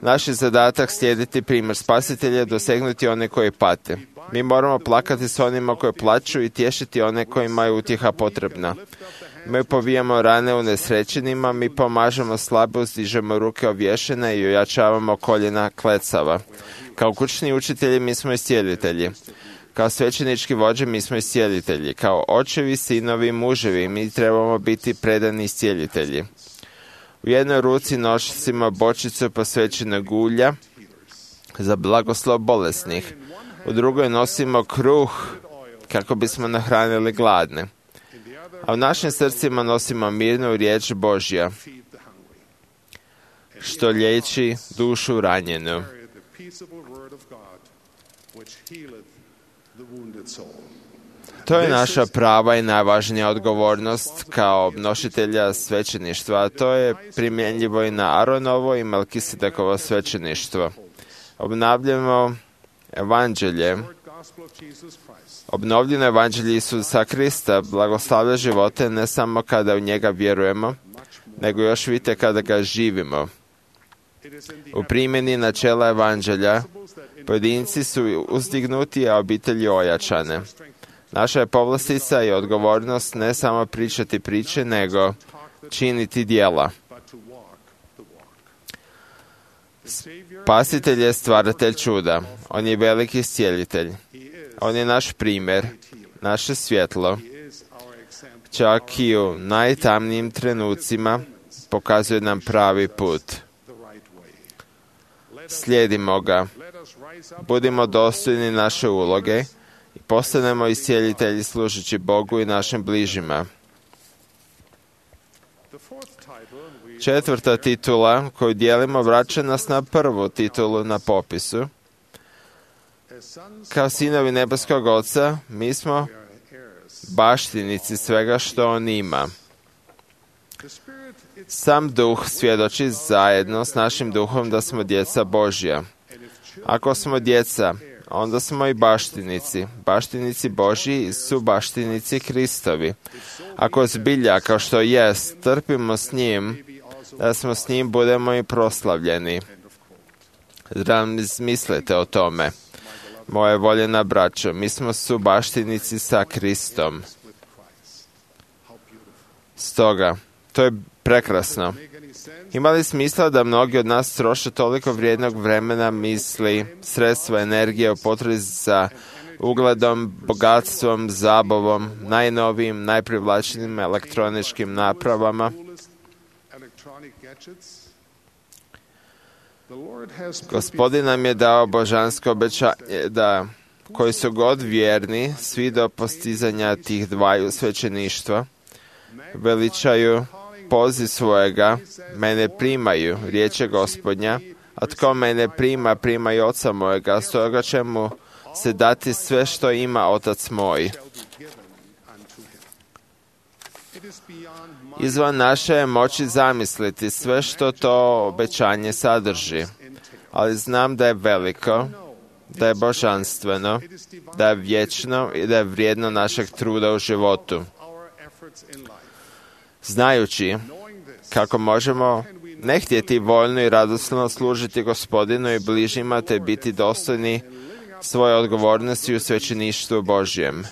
Naš je zadatak slijediti primjer Spasitelja, dosegnuti one koji pate. Mi moramo plakati s onima koji plaću i tješiti one kojima je utjeha potrebna. Mi povijamo rane u nesrećenima, mi pomažemo slabe, uzdižemo ruke ovješene i ojačavamo koljena klecava. Kao kućni učitelji mi smo iscijelitelji. Kao svećenički vođe mi smo iscijelitelji. Kao očevi, sinovi, muževi mi trebamo biti predani iscijelitelji. U jednoj ruci nosimo bočicu posvećenog ulja za blagoslov bolesnih. U drugoj nosimo kruh kako bismo nahranili gladne. A u našim srcima nosimo mirnu riječ Božja, što liječi dušu ranjenu. To je naša prava i najvažnija odgovornost kao nositelja svećeništva, a to je primjenjivo i na Aronovo i Melkisedekovo svećeništvo. Obnavljamo evanđelje. Obnovljeno evanđelje Isusa Krista blagoslavlja živote ne samo kada u njega vjerujemo, nego još vidite kada ga živimo. U primjeni načela evanđelja pojedinci su uzdignuti, a obitelji ojačane. Naša je povlastica i odgovornost ne samo pričati priče, nego činiti djela. Spasitelj je stvaratelj čuda. On je veliki iscijelitelj. On je naš primjer, naše svjetlo. Čak i u najtamnijim trenucima pokazuje nam pravi put. Slijedimo ga. Budimo dostojni naše uloge i postanemo iscijelitelji služeći Bogu i našim bližima. Četvrta titula koju dijelimo vraća nas na prvu titulu na popisu. Kao sinovi nebeskog Oca, mi smo baštinici svega što On ima. Sam Duh svjedoči zajedno s našim duhom da smo djeca Božja. Ako smo djeca, onda smo i baštinici. Baštinici Božji i su baštinici Kristovi. Ako zbilja, kao što jest, trpimo s njim, da smo s njim budemo i proslavljeni. Razmislite o tome. Moje voljena braćo, mi smo subaštinici sa Kristom. Stoga, to je prekrasno. Ima li smisla da mnogi od nas troše toliko vrijednog vremena, misli, sredstva, energije u potrazi za ugledom, bogatstvom, zabavom, najnovijim, najprivlačnijim elektroničkim napravama? Gospodin nam je dao božansko obećanje da koji su god vjerni, svi do postizanja tih dvaju svećeništva, veličaju poziv svojega, mene primaju, riječ je Gospodnja, a tko mene prima, prima i Oca mojega, stoga će mu se dati sve što ima Otac moj. Izvan naše je moći zamisliti sve što to obećanje sadrži, ali znam da je veliko, da je božanstveno, da je vječno i da je vrijedno našeg truda u životu. Znajući kako možemo ne htjeti voljno i radosno služiti Gospodinu i bližnjima te biti dostojni svoje odgovornosti u svećeništvu Božjem.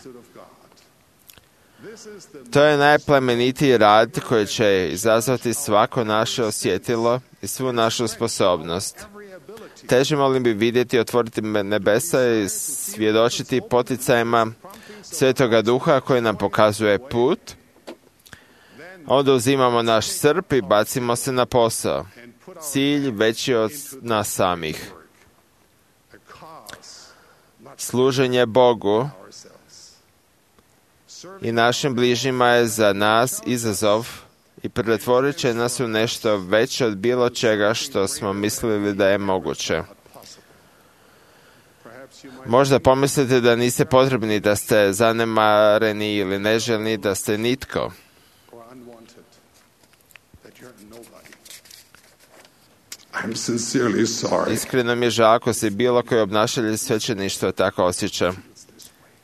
To je najplemenitiji rad koji će izazvati svako naše osjetilo i svu našu sposobnost. Težimo li bi vidjeti, otvoriti nebesa i svjedočiti poticajima Svetoga Duha koji nam pokazuje put, onda uzimamo naš srp i bacimo se na posao. Cilj veći od nas samih. Služenje Bogu i našim bližnjima je za nas izazov i pretvorit će nas u nešto veće od bilo čega što smo mislili da je moguće. Možda pomislite da niste potrebni, da ste zanemareni ili neželjni, da ste nitko. I'm sincerely sorry. Iskreno mi je žao ako se bilo koji obnašatelj svećeništva tako osjeća.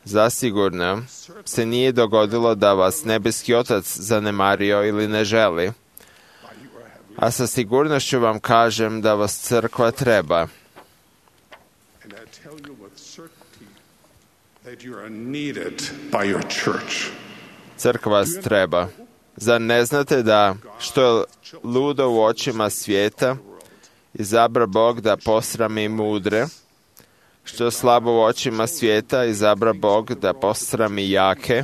Zasigurno se nije dogodilo da vas nebeski Otac zanemario ili ne želi, a sa sigurnošću vam kažem da vas crkva treba. And I tell you with certainty that you are needed by your church. Crkva vas treba. Zar ne znate da što je ludo u očima svijeta, izabra Bog da posrami mudre, što je slabo u očima svijeta, izabra Bog da posrami jake.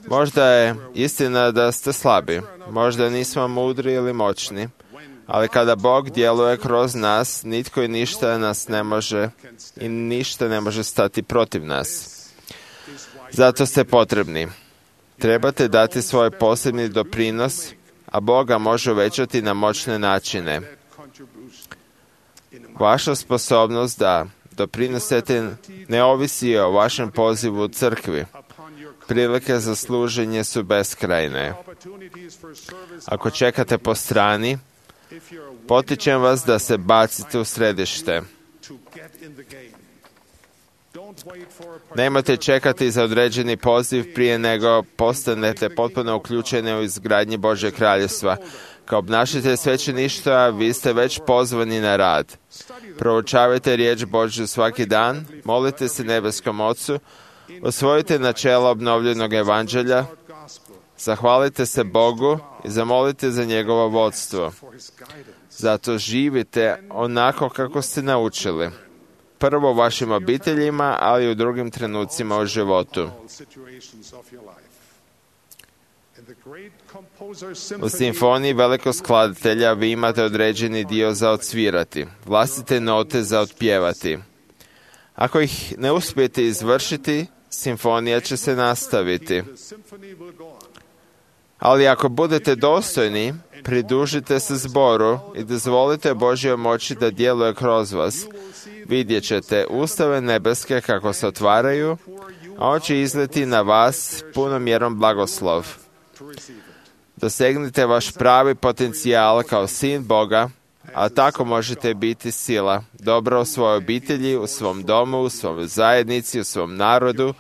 Možda je istina da ste slabi, možda nismo mudri ili moćni, ali kada Bog djeluje kroz nas, nitko i ništa nas ne može i ništa ne može stati protiv nas. Zato ste potrebni. Trebate dati svoj posebni doprinos, a Boga može uvećati na moćne načine. Vaša sposobnost da doprinosete ne ovisi o vašem pozivu u crkvi. Prilike za služenje su beskrajne. Ako čekate po strani, potičem vas da se bacite u središte. Nemojte čekati za određeni poziv prije nego postanete potpuno uključeni u izgradnji Božjeg kraljevstva. Kao obnašatelj svećeništva, vi ste već pozvani na rad. Proučavajte riječ Božju svaki dan, molite se nebeskom Ocu, osvojite načela obnovljenog evanđelja, zahvalite se Bogu i zamolite za njegovo vodstvo. Zato živite onako kako ste naučili. Prvo u vašim obiteljima, ali i u drugim trenucima u životu. U simfoniji velikog skladatelja vi imate određeni dio za odsvirati, vlastite note za otpjevati. Ako ih ne uspijete izvršiti, simfonija će se nastaviti. Ali ako budete dostojni, pridružite se zboru i dozvolite Božjoj moći da djeluje kroz vas. Vidjet ćete ustave nebeske kako se otvaraju, a on će izleti na vas punom mjerom blagoslov. Dosegnite vaš pravi potencijal kao sin Boga, a tako možete biti sila, dobro u svojoj obitelji, u svom domu, u svojoj zajednici, u svom narodu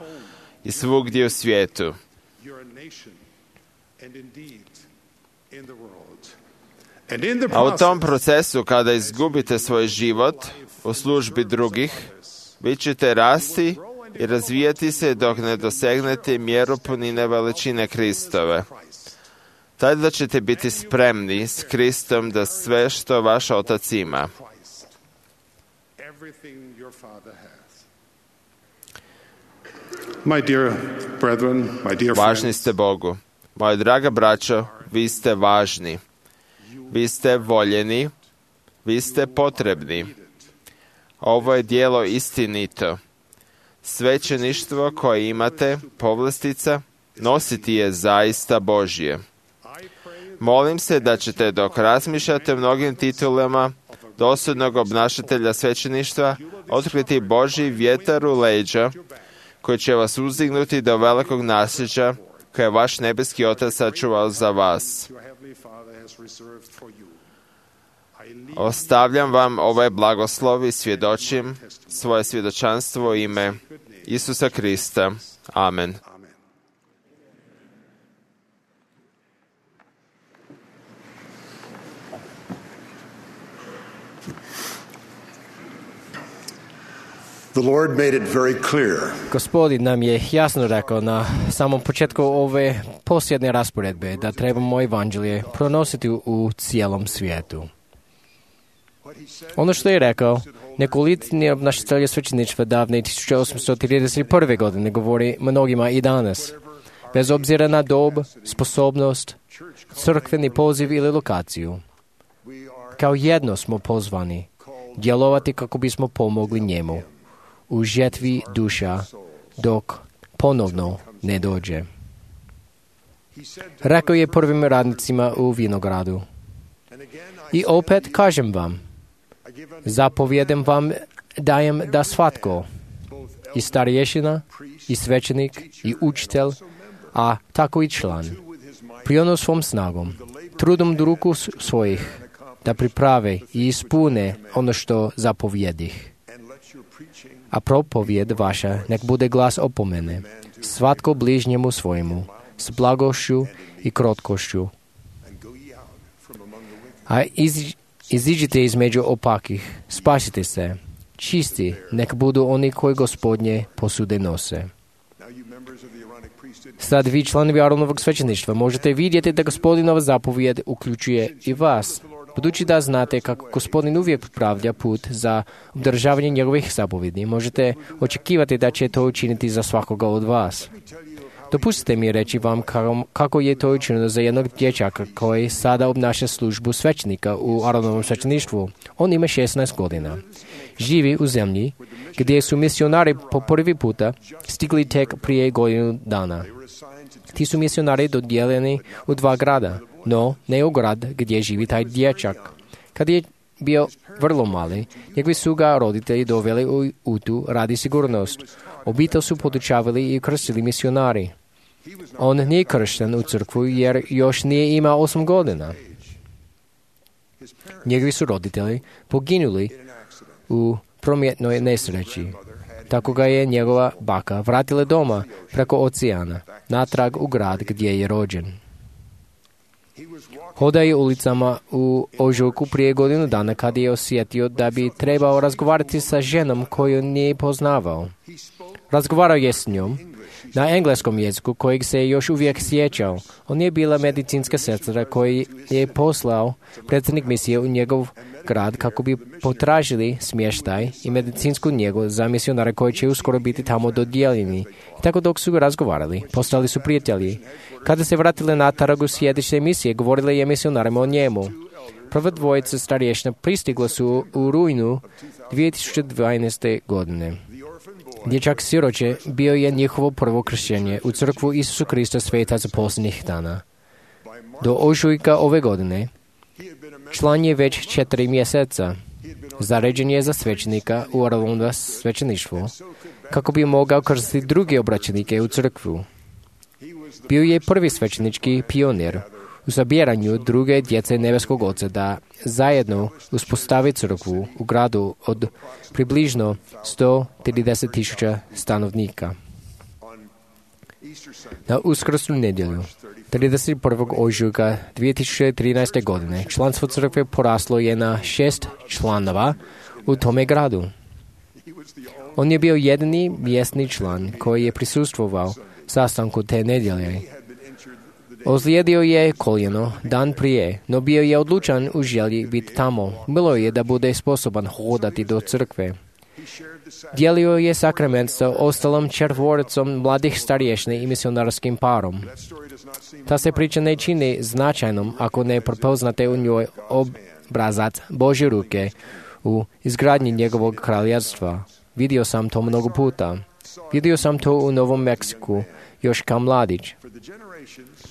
i svugdje u svijetu. A u tom procesu, kada izgubite svoj život u službi drugih, vi ćete rasti i razvijati se dok ne dosegnete mjeru punine veličine Kristove. Tada ćete biti spremni s Kristom da sve što vaš Otac ima. My dear brethren, my dear Važni friends, ste Bogu. Moja draga braćo, vi ste važni. Vi ste voljeni. Vi ste potrebni. Ovo je djelo istinito. Svećeništvo koje imate, povlastica, nositi je zaista Božje. Molim se da ćete dok razmišljate o mnogim titulama dosudnog obnašatelja svećeništva otkriti Božji vjetar u leđa koji će vas uzdignuti do velikog nasljeđa koje je vaš nebeski Otac sačuvao za vas. Ostavljam vam ovaj blagoslov i svjedočim svoje svjedočanstvo u ime Isusa Krista. Amen. The Lord made it very clear. Gospodin nam je jasno rekao na samom početku ove posljednje rasporedbe da trebamo evanđelje pronositi u cijelom svijetu. Ono što je rekao, nekolicini obnašatelji svećeništva davne tisuće osamsto trideset prve godine govori mnogima i danas. Bez obzira na dob, sposobnost, crkveni poziv ili lokaciju. Kao jedno smo pozvani djelovati kako bismo pomogli njemu u žetvi duša dok ponovno ne dođe. Rekao je prvim radnicima u vinogradu. I opet kažem vam, zapovjedam vam dajem da svatko, i starješina, i svećenik, i učitelj, a tako i član, priono svom snagom, trudom do ruku svojih, da priprave i ispune ono što zapovjedih. A propovjed vaša nek bude glas opomene, svatko bližnjemu svojemu, s blagošću i krotkošću. A iz, iziđite između opakih, spasite se, čisti, nek budu oni koji Gospodnje posude nose. Sad vi, članovi Aronovog svećeništva, možete vidjeti da Gospodinova zapovjed uključuje i vas, budući da znate kako Gospodin uvijek popravlja put za obdržavanje njegovih zapovjedi. Možete očekivati da će to učiniti za svakoga od vas. Dopustite mi reći vam kako je to učinjeno za jednog dječaka koji sada obnaša službu svećenika u Aronovom svećeništvu. On ima šesnaest godina. Živi u zemlji gdje su misionari po prvi puta stigli tek prije godinu dana. Ti su misionari dodijeljeni u dva grada, no ne u grad gdje živi taj dječak. Kad je bio vrlo mali, njegovi su ga roditelji doveli u Utu radi sigurnost. Obitelj su podučavali i krstili misionari. On nije kršten u crkvu jer još nije imao osam godina. Njegovi su roditelji poginuli u prometnoj nesreći. Tako ga je njegova baka vratila doma preko oceana, natrag u grad gdje je rođen. Hodao je ulicama u ožujku prije godinu dana kad je osjetio da bi trebao razgovarati sa ženom koju nije poznavao. Razgovarao je s njom na engleskom jeziku kojeg se još uvijek sjećao. On je bila medicinska sestra koji je poslao predsjednik misije u njegov grad kako bi potražili smještaj i medicinsku njegu za misionare koji će uskoro biti tamo dodijeljeni. I tako dok su razgovarali, postali su prijatelji. Kada se vratili natrag u sjedište misije, govorili je misionarima o njemu. Prva dvojica starješina pristigla su u rujnu dvije tisuće dvanaeste. godine. Dječak siroće bio je njihovo prvo kršćenje u crkvu Isusu Krista svetaca posljednjih dana. Do ožujka ove godine član je već četiri mjeseca. Zaređen je za svećenika u Aronovom svećeništvu kako bi mogao krstiti druge obraćenike u crkvu. Bio je prvi svećenički pionir u sabiranju druge djece nebeskog Oca da zajedno uspostavi crkvu u gradu od približno sto trideset tisuća stanovnika. Na uskrsnu nedjelju, trideset prvog ožujka dvije tisuće trinaeste. godine, članstvo crkve poraslo je na šest članova u tome gradu. On je bio jedini mjesni član koji je prisustvovao sastanku te nedjelje. Ozlijedio je koljeno dan prije, no bio je odlučan u želji biti tamo. Bilo je da bude sposoban hodati do crkve. Dijelio je sakrament sa ostalom četvoricom mladih starješina i misionarskim parom. Ta se priča ne čini značajnom ako ne prepoznate u njoj obrazac Božje ruke u izgradnji njegovog kraljevstva. Vidio sam to mnogo puta. Vidio sam to u Novom Meksiku, još kao mladić.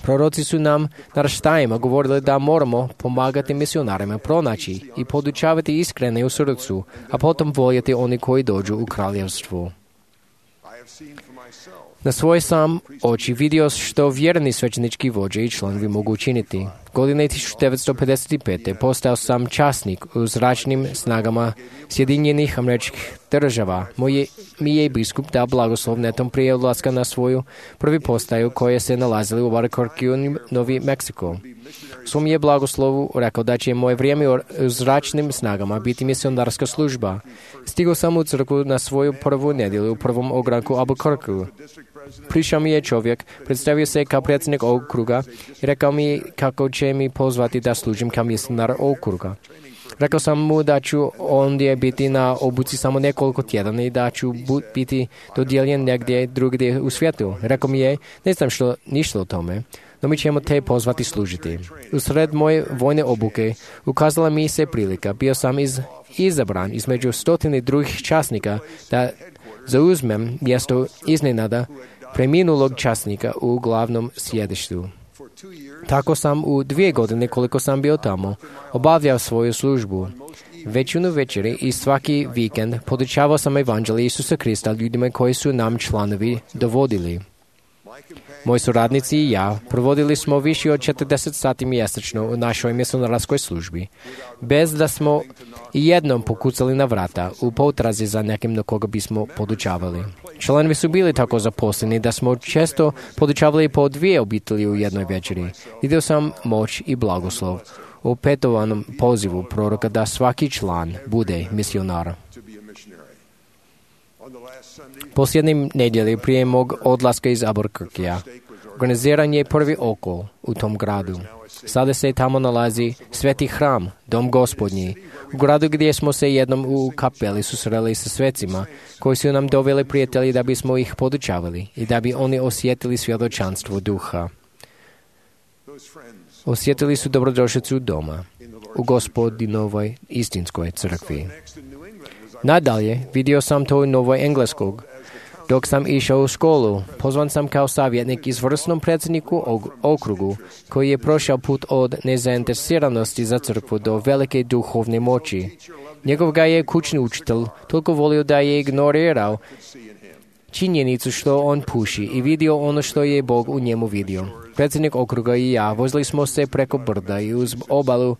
Proroci su nam naraštajima govorili da moramo pomagati misionarima pronaći i podučavati iskrene u srcu, a potom voljeti oni koji dođu u kraljevstvu. Na svoje sam oči vidio što vjerni svećenički vođe i članovi mogu učiniti. Godine tisuću devetsto pedeset pete. postao sam časnik u zračnim snagama Sjedinjenih Američkih Država. Moj mi je biskup dao blagoslov netom prije odlaska na svoju prvi postaju koje se nalazili u Albuquerque, Novi Meksiko. U svom je blagoslovu rekao da će moje vrijeme u zračnim snagama biti misionarska služba. Stigao sam u crkvu na svoju prvu nedjelju u prvom ogranku Albuquerque. Prišao mi je čovjek, predstavio se kao predsjednik okruga i rekao mi kako će mi pozvati da služim kao misionar okruga. Rekao sam mu da ću ondje biti na obuci samo nekoliko tjedana i da ću biti dodijeljen negdje drugdje u svijetu. Rekao mi je, ne znam što ništa o tome, no mi ćemo te pozvati služiti. Usred moje vojne obuke ukazala mi se prilika. Bio sam iz, izabran između stotine drugih časnika da zauzmem mjesto iznenada preminulog časnika u glavnom sjedištu. Tako sam u dvije godine koliko sam bio tamo obavljao svoju službu. Većinu večeri i svaki vikend podučavao sam evanđelje Isusa Krista ljudima koji su nam članovi dovodili. Moji suradnici i ja provodili smo više od četrdeset sati mjesečno u našoj misionarskoj službi, bez da smo i jednom pokucali na vrata u potrazi za nekim do koga bismo podučavali. Članovi su bili tako zaposleni da smo često podučavali po dvije obitelji u jednoj večeri. Vidio sam moć i blagoslov u petovanom pozivu proroka da svaki član bude misionar. Posljednje nedjelje prije mog odlaska iz Albuquerquea organiziran je prvi okol u tom gradu. Sada se tamo nalazi sveti hram, dom gospodnji, u gradu gdje smo se jednom u kapeli susreli sa svecima koji su nam doveli prijatelji da bismo ih podučavali i da bi oni osjetili svjedočanstvo duha. Osjetili su dobrodošlicu doma u Gospodinovoj istinskoj crkvi. Nadalje, vidio sam to u Novoj Engleskog. Dok sam išao u školu, pozvan sam kao savjetnik izvrsnom predsjedniku okrugu koji je prošao put od nezainteresiranosti za crkvu do velike duhovne moći. Njegov ga je kućni učitelj toliko volio da je ignorirao činjenicu što on puši i vidio ono što je Bog u njemu vidio. Predsjednik okruga i ja vozili smo se preko brda i uz obalu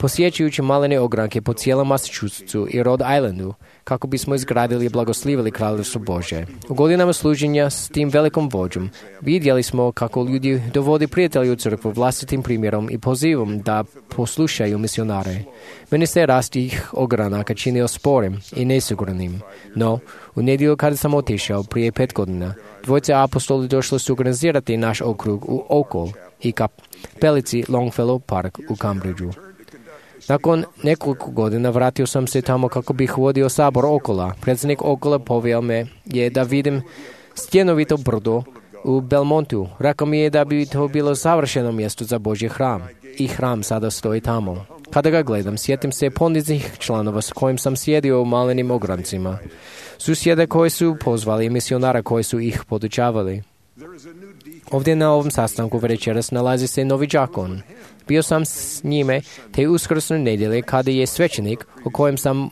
posjećujući malene ogranke po cijelom Massachusettsu i Rhode Islandu, kako bismo izgradili i blagoslivili Kraljevstvo Božje. U godinama služenja s tim velikom vođom vidjeli smo kako ljudi dovodi prijatelji u crkvu vlastitim primjerom i pozivom da poslušaju misionare. Meni se rast tih ogranaka činio sporim i nesigurnim, no u nedjelju kada sam otišao prije pet godina, dvojice apostoli došli su organizirati naš okrug u okol i kapelici Longfellow Park u Cambridgeu. Nakon nekoliko godina vratio sam se tamo kako bih vodio sabor okola. Predsjednik okola poveo me je da vidim stjenovito brdo u Belmontu. Rekao mi je da bi to bilo savršeno mjesto za Božji hram. I hram sada stoji tamo. Kada ga gledam, sjetim se poniznih članova s kojim sam sjedio u malenim ograncima. Susjede koji su pozvali i misionara koji su ih podučavali. Ovdje na ovom sastanku večeras nalazi se novi đakon. Bio sam s njime te uskrsne nedjelje kada je svećenik, o kojem sam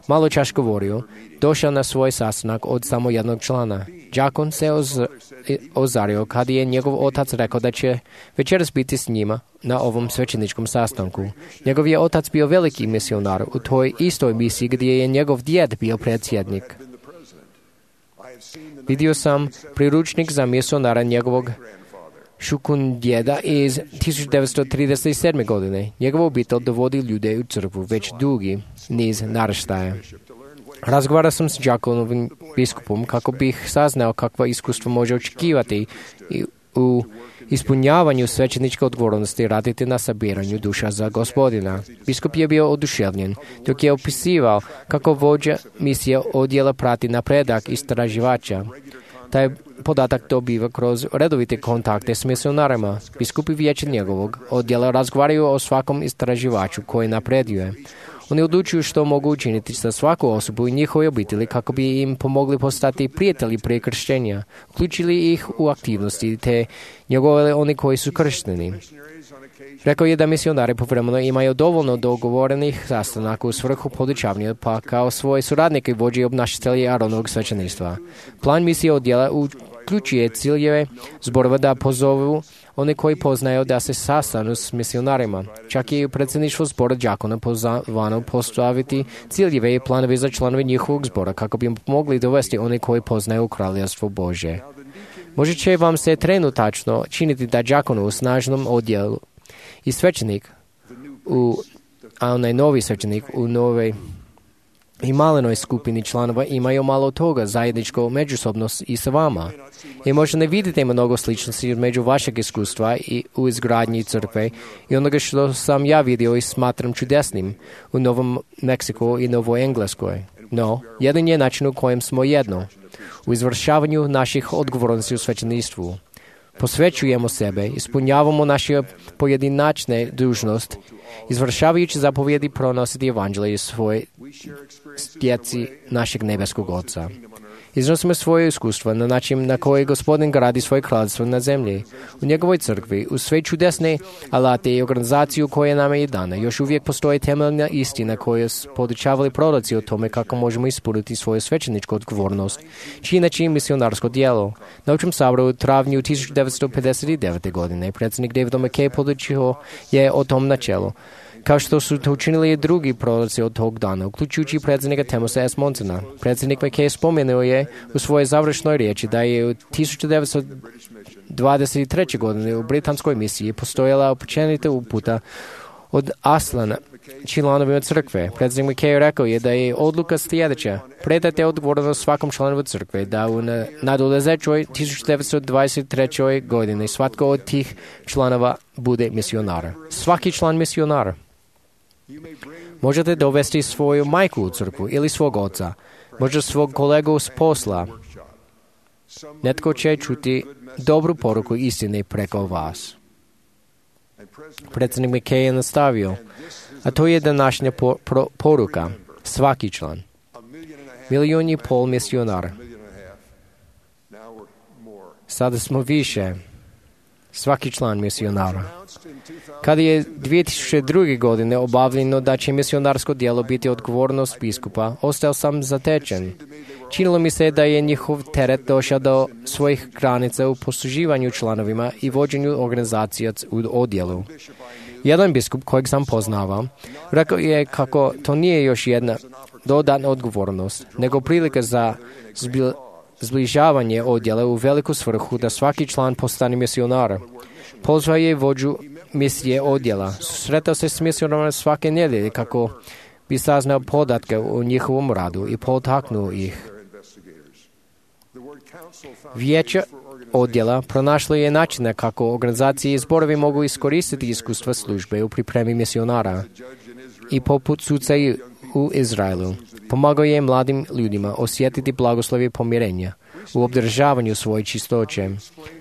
malo čas govorio, došao na svoj sastanak od samo jednog člana. Đakon se oz, ozario kada je njegov otac rekao da će večeras biti s njima na ovom svećeničkom sastanku. Njegov je otac bio veliki misionar u toj istoj misiji gdje je njegov djed bio predsjednik. Vidio sam priručnik za misionara njegovog šukundjeda iz tisuću devetsto trideset sedme. godine. Njegova obitelj dovodi ljude u crkvu već dugi niz naraštaja. Razgovarao sam s đakonovim biskupom kako bih saznao kakva iskustva može očekivati u ispunjavanju svećeničke odgovornosti raditi na sabiranju duša za Gospodina. Biskup je bio oduševljen dok je opisivao kako vođa misije odjela prati napredak istraživača. Taj podatak dobiva kroz redovite kontakte s misionarima. Biskupi vijeća njegovog odjela razgovaraju o svakom istraživaču koji napreduje. Oni odlučuju što mogu učiniti sa svaku osobu i njihove obitelji kako bi im pomogli postati prijatelji prije krštenja, uključili ih u aktivnosti te njegove oni koji su kršteni. Rekao je da misionari povremeno imaju dovoljno dogovorenih sastanaka u svrhu podučavanja, pa kao svoje suradnike i vođe i obnašatelji Aronovog svećeništva. Plan misije odjela uključuje ciljeve zborova da pozovu one koji poznaju da se sastanu s misionarima. Čak i predsjedništvo zbora đakona pozvano postaviti ciljeve i planove za članove njihovog zbora kako bi im pomogli dovesti one koji poznaju Kraljevstvo Božje. Možda će vam se trenutačno činiti da đakon u snažnom odjelu i svećenik, u, a onaj novi svećenik u novoj i malenoj skupini članova imaju malo toga zajedničko međusobno i sa vama. I možda ne vidite mnogo sličnosti među vašeg iskustva i u izgradnji crkve i onoga što sam ja vidio i smatram čudesnim u Novom Meksiku i Novoj Engleskoj. No, jedan je način u kojem smo jedno, u izvršavanju naših odgovornosti u svećeništvu. Posvećujemo sebe, ispunjavamo naše pojedinačne dužnost, izvršavajući zapovjedi pronositi evanđelje svoje djeci našeg nebeskog Oca. Iznosimo svoje iskustva na način na koji Gospodin gradi svoje kraljestvo na zemlji. U njegovoj crkvi, uz sve čudesne alate i organizaciju koje nam je dana, još uvijek postoji temeljna istina koju su podučavali proroci o tome kako možemo ispuniti svoju svećeničku odgovornost, čineći misionarsko djelo. Na Općem saboru u travnju tisuću devetsto pedeset devete. godine predsjednik David McKay podučio je o tom načelu, kao što su to učinili i drugi proroci od tog dana, uključujući predsjednika Thomas S. Monsona. Predsjednik McKay spomenuo je u svojoj završnoj riječi da je u tisuću devetsto dvadeset treće. godine u britanskoj misiji postojala općenita uputa od Aslana članovima crkve. Predsjednik McKay rekao je da je odluka sljedeća: predajte odgovornost svakom članovu crkve da u nadolazećoj tisuću devetsto dvadeset trećoj. godini svatko od tih članova bude misionar. Svaki član misionar. Možete dovesti svoju majku u crkvu ili svog oca, možda svog kolegu s posla. Netko će čuti dobru poruku istine preko vas. Predsjednik McKay je nastavio, a to je današnja po, pro, poruka. Svaki član. Milijun i pol misionara. Sada smo više. Svaki član misionara. Kada je dvije tisuće druge. godine obavljeno da će misionarsko djelo biti odgovornost biskupa, ostao sam zatečen. Činilo mi se da je njihov teret došao do svojih granica u posluživanju članovima i vođenju organizacija u odjelu. Jedan biskup kojeg sam poznavao rekao je kako to nije još jedna dodatna odgovornost, nego prilika za zbil, zbližavanje odjela u veliku svrhu da svaki član postane misionar. Pozvao je vođu misije odjela. Susretao se s misionarima svake nedjelje kako bi saznao podatke o njihovom radu i potaknuo ih. Vijeće odjela pronašlo je načine kako organizacije i zborovi mogu iskoristiti iskustva službe u pripremi misionara. I poput suca u Izraelu, pomagao je mladim ljudima osjetiti blagoslovje pomirenja u obdržavanju svoje čistoće.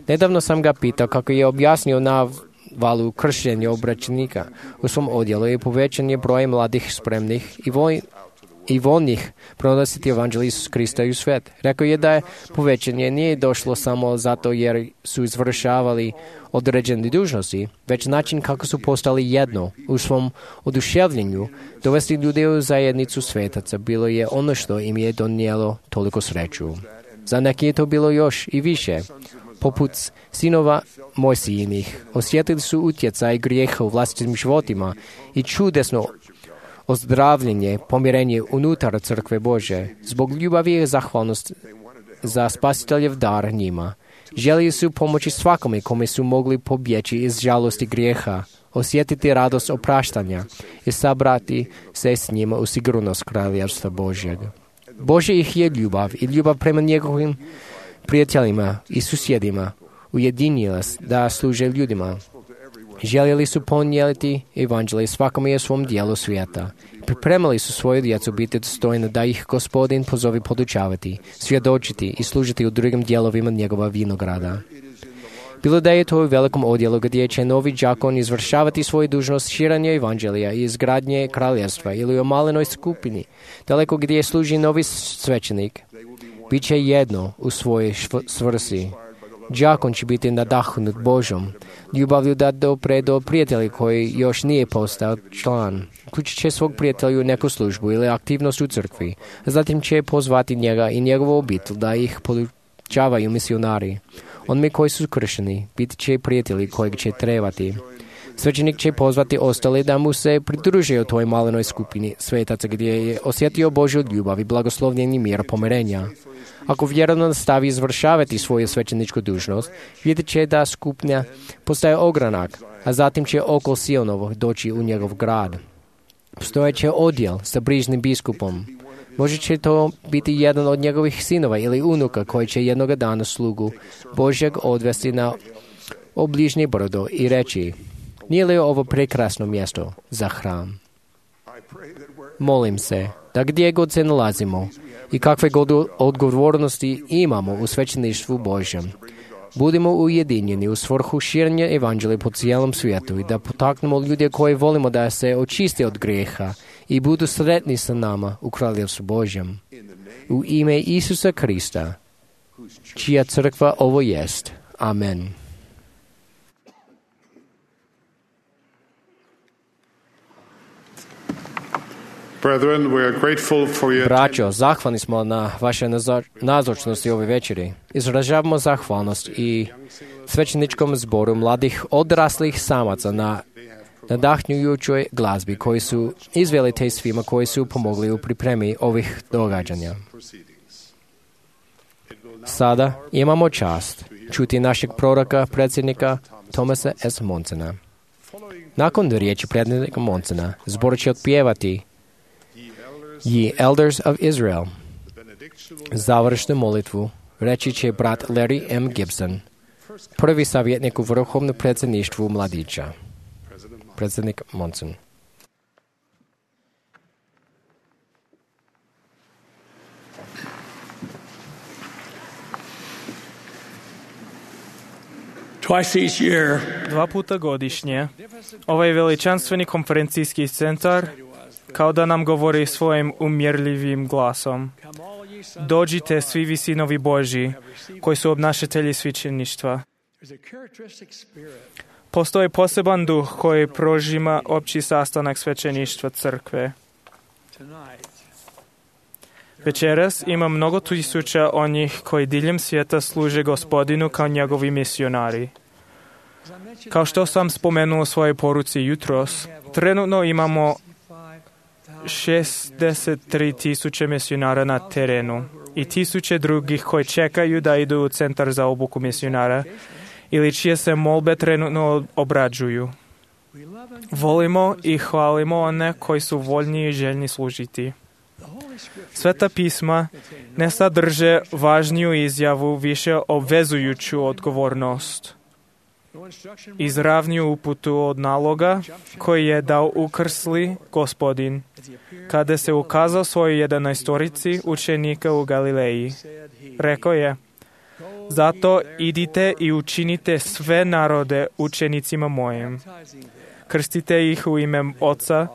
Nedavno sam ga pitao kako je objasnio navalu kršenja obraćenika u svom odjelu i povećan je broj mladih spremnih i voj i voljnih pronositi evanđelje Isusa Krista i u svijet. Rekao je da je povećanje nije došlo samo zato jer su izvršavali određene dužnosti, već način kako su postali jedno u svom oduševljenju. Dovesti ljude u zajednicu svetaca bilo je ono što im je donijelo toliko sreću. Za neki je to bilo još i više. Poput sinova Mojsijinih, osjetili su utjecaj grijeha u vlastitim životima i čudesno ozdravljenje, pomirenje unutar crkve Bože. Zbog ljubavi i zahvalnost za spasiteljev dar njima. Želili su pomoći svakome kome su mogli pobjeći iz žalosti grijeha, osjetiti radost opraštanja i sabrati se s njima u sigurnost kraljevstva Božjeg. Bože ih je ljubav i ljubav prema njegovim prijateljima i susjedima ujedinila da služe ljudima. Željeli su ponijeti evanđelje svakome u svom dijelu svijeta. Pripremali su svoju djecu biti dostojno da ih Gospodin pozove podučavati, svjedočiti i služiti u drugim dijelovima njegova vinograda. Bilo da je to u velikom odjelu gdje će novi đakon izvršavati svoju dužnost širenja evanđelja i izgradnje kraljevstva ili u malenoj skupini, daleko gdje služi novi svećenik, bit će jedno u svojoj svrsi. Đakon će biti nadahnut Božom ljubavlju da dopre do prijatelja koji još nije postao član. Uključit će svog prijatelja u neku službu ili aktivnost u crkvi. Zatim će pozvati njega i njegovu obitelj da ih podučavaju misionari. Onima koji su kršeni biti će prijatelji kojeg će trebati. Svećenik će pozvati ostale da mu se pridruže u toj malenoj skupini svetaca gdje je osjetio Božju ljubav i blagoslovljeni mir pomirenja. Ako vjerno nastavi izvršavati svoju svećeničku dužnost, vidjet će da skupina postaje ogranak, a zatim će oko Sionovo doći u njegov grad. Postojeće odjel sa brižnim biskupom. Može će to biti jedan od njegovih sinova ili unuka koji će jednoga dana slugu Božjeg odvesti na obližnje brdo i reći: nije li ovo prekrasno mjesto za hram? Molim se da gdje god se nalazimo i kakve god odgovornosti imamo u svećeništvu Božjem, budemo ujedinjeni u svrhu širenja evanđelja po cijelom svijetu i da potaknemo ljude koji volimo da se očiste od grijeha i budu sretni sa nama u Kraljevstvu Božjem. U ime Isusa Krista, čija crkva ovo jest. Amen. Brethren, we are grateful for your Braćo, zahvalni smo na vaše nazočnosti ove večeri. Izražavamo zahvalnost i svećeničkom zboru mladih odraslih samaca na nadahnjujućoj glazbi koji su izveli te svima koji su pomogli u pripremi ovih događanja. Sada imamo čast čuti našeg proroka, predsjednika Thomasa S. Monsona. Nakon riječi predsjednika Monsona, zbor će otpjevati Ye Elders of Israel. Završnu molitvu reći će brat Larry M. Gibson, prvi savjetnik u vrhovnom predsjedništvu mladića. Predsjednik Monson. Twice each year, Dva puta godišnje, ovaj veličanstveni konferencijski centar kao da nam govori svojim umjerljivim glasom. Dođite svi vi sinovi Božji, koji su obnašatelji svećeništva. Postoji poseban duh koji prožima opći sastanak svećeništva crkve. Večeras ima mnogo tisuća onih koji diljem svijeta služe Gospodinu kao njegovi misionari. Kao što sam spomenuo u svojoj poruci jutros, trenutno imamo šezdeset tri tisuće misionara na terenu i tisuće drugih koji čekaju da idu u centar za obuku misionara ili čije se molbe trenutno obrađuju. Volimo i hvalimo one koji su voljni i željni služiti. Sveta pisma ne sadrže važniju izjavu, više obvezujuću odgovornost. Izravniju uputu od naloga koji je dao ukrsli Gospodin kada se ukazao svojoj jedanaestorici učenika u Galileji. Rekao je: zato idite i učinite sve narode učenicima mojim. Krstite ih u ime Oca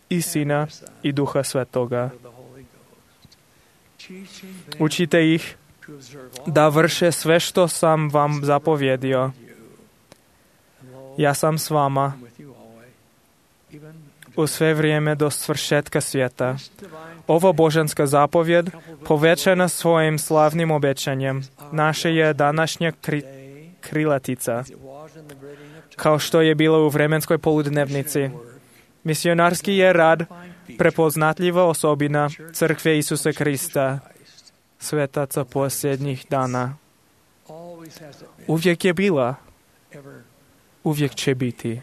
i Sina i Duha Svetoga. Učite ih da vrše sve što sam vam zapovjedio. Ja sam s vama u sve vrijeme do svršetka svijeta. Ova božanska zapovjed, povećana svojim slavnim obećanjem, naša je današnja kri, krilatica, kao što je bilo u vremenskoj poludnevnici. Misionarski je rad prepoznatljiva osobina crkve Isusa Krista, svetaca posljednjih dana. Uvijek je bila, uvijek će biti.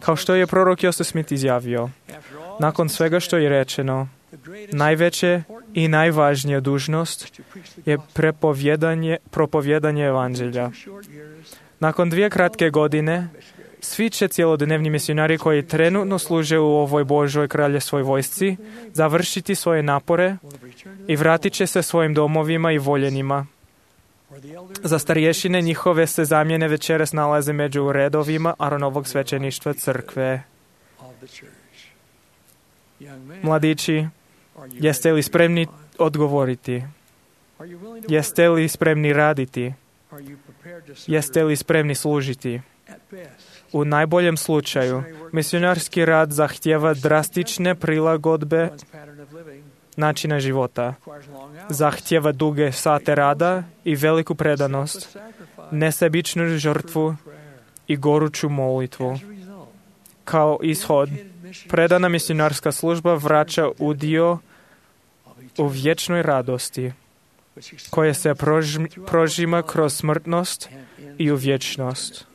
Kao što je prorok Joseph Smith izjavio, nakon svega što je rečeno, najveće i najvažnija dužnost je prepovjedanje, propovjedanje evanđelja. Nakon dvije kratke godine, svi će cjelodnevni misionari koji trenutno služe u ovoj Božoj kraljevskoj vojsci završiti svoje napore i vratit će se svojim domovima i voljenima. Za starješine njihove se zamjene večeras nalaze među redovima Aronovog svećeništva crkve. Mladići, jeste li spremni odgovoriti? Jeste li spremni raditi? Jeste li spremni služiti? U najboljem slučaju, misionarski rad zahtijeva drastične prilagodbe načina života. Zahtijeva duge sate rada i veliku predanost, nesebičnu žrtvu i goruću molitvu. Kao ishod, predana misionarska služba vraća udio u vječnoj radosti, koje se prožima, prožima kroz smrtnost i u vječnost.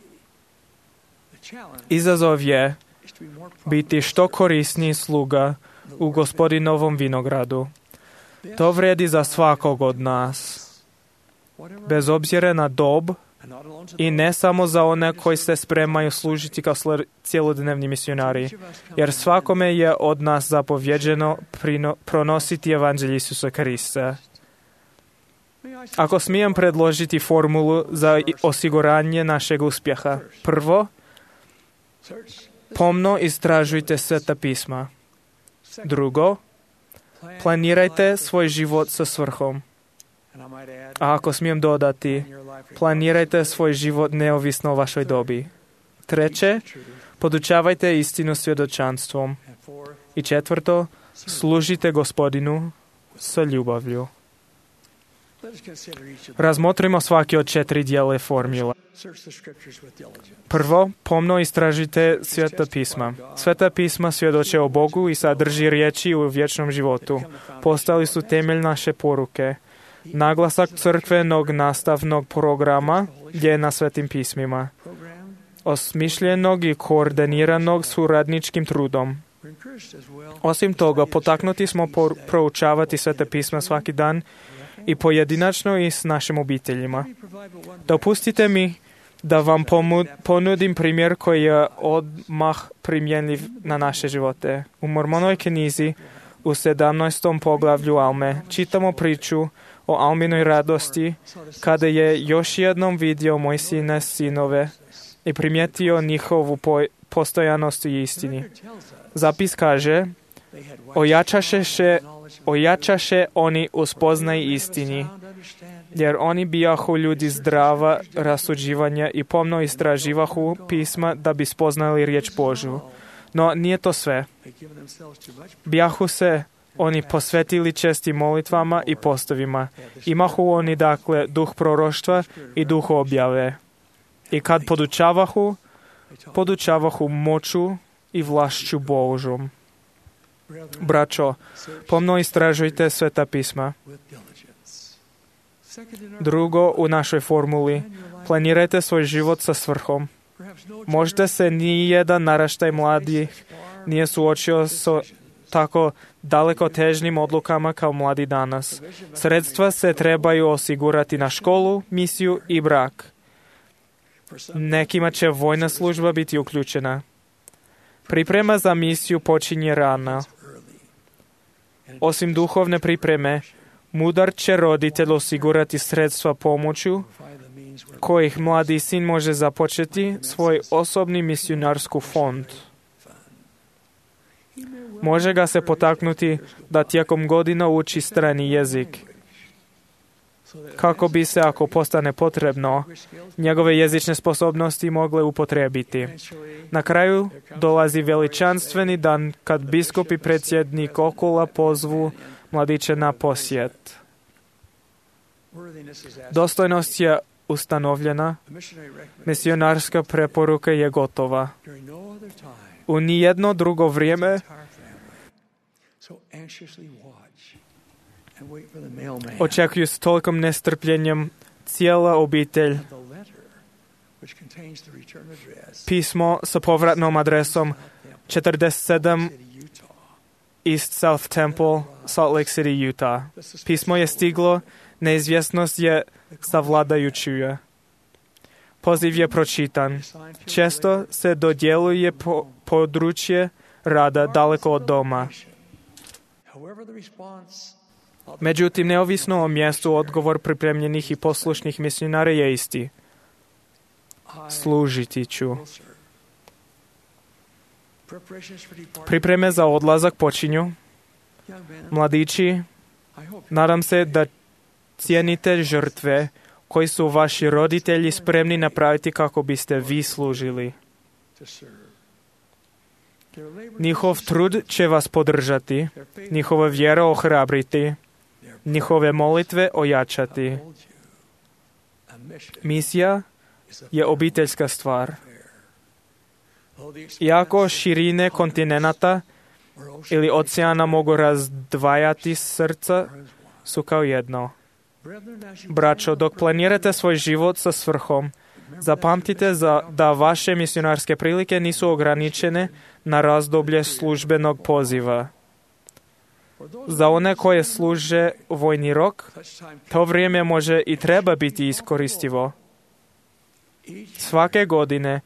Izazov je biti što korisniji sluga u Gospodinovom vinogradu. To vrijedi za svakog od nas, bez obzira na dob i ne samo za one koji se spremaju služiti kao cjelodnevni misionari, jer svakome je od nas zapovjeđeno prino, pronositi evanđelje Isusa Krista. Ako smijem predložiti formulu za osiguranje našeg uspjeha. Prvo, Pomno istražujte Sveta pisma. Drugo, planirajte svoj život sa svrhom. A ako smijem dodati, planirajte svoj život neovisno o vašoj dobi. Treće, podučavajte istinu svjedočanstvom. I četvrto, služite Gospodinu sa ljubavlju. Razmotrimo svaki od četiri dijela formula. Prvo, pomno istražite Sveta pisma. Sveta pisma svjedoče o Bogu i sadrži riječi u vječnom životu. Postali su temelj naše poruke. Naglasak crkvenog nastavnog programa je na Svetim pismima, osmišljenog i koordiniranog suradničkim trudom. Osim toga, potaknuti smo por- proučavati Sveta pisma svaki dan i pojedinačno i s našim obiteljima. Dopustite mi da vam pomu- ponudim primjer koji je odmah primjenjiv na naše živote. U Mormonovoj knjizi u sedamnaestom poglavlju Alme čitamo priču o Alminoj radosti kada je još jednom vidio Mojsijine sinove i primijetio njihovu po- postojanost i istini. Zapis kaže, ojačaše, še, ojačaše oni u spoznaj istini, jer oni bijahu ljudi zdrava rasuđivanja i pomno istraživahu pisma da bi spoznali riječ Božju. No nije to sve. Bijahu se oni posvetili čestim molitvama i postovima. Imahu oni dakle duh proroštva i duh objave. I kad podučavahu, podučavahu moću i vlašću Božom. Braćo, pomno istražujte Sveta pisma. Drugo, u našoj formuli, planirajte svoj život sa svrhom. Možda se ni jedan naraštaj mladih nije suočio sa tako daleko težnim odlukama kao mladi danas. Sredstva se trebaju osigurati na školu, misiju i brak. Nekima će vojna služba biti uključena. Priprema za misiju počinje rano. Osim duhovne pripreme, mudar će roditelj osigurati sredstva pomoću kojih mladi sin može započeti svoj osobni misionarsku fond. Može ga se potaknuti da tijekom godina uči strani jezik, kako bi se, ako postane potrebno, njegove jezične sposobnosti mogle upotrijebiti. Na kraju dolazi veličanstveni dan kad biskup i predsjednik okula pozvu mladiće na posjet. Dostojnost je ustanovljena, misionarska preporuka je gotova. U nijedno drugo vrijeme očekuju s tolikom nestrpljenjem cijela obitelj pismo sa povratnom adresom četrdeset sedam East South Temple, Salt Lake City, Utah. Pismo je stiglo, neizvjesnost je savladajuća. Poziv je pročitan. Često se dodjeljuje po područje rada daleko od doma. Međutim, neovisno o mjestu, odgovor pripremljenih i poslušnih misionara je isti. Služiti ću. Pripreme za odlazak počinju. Mladići, nadam se da cijenite žrtve koji su vaši roditelji spremni napraviti kako biste vi služili. Njihov trud će vas podržati, njihova vjera ohrabriti, njihove molitve ojačati. Misija je obiteljska stvar. Iako širine kontinenta ili oceana mogu razdvajati srca, su kao jedno. Braćo, dok planirate svoj život sa svrhom, zapamtite za, da vaše misionarske prilike nisu ograničene na razdoblje službenog poziva. Za one koje služe vojni rok, to vrijeme može i treba biti iskoristivo. Svake godine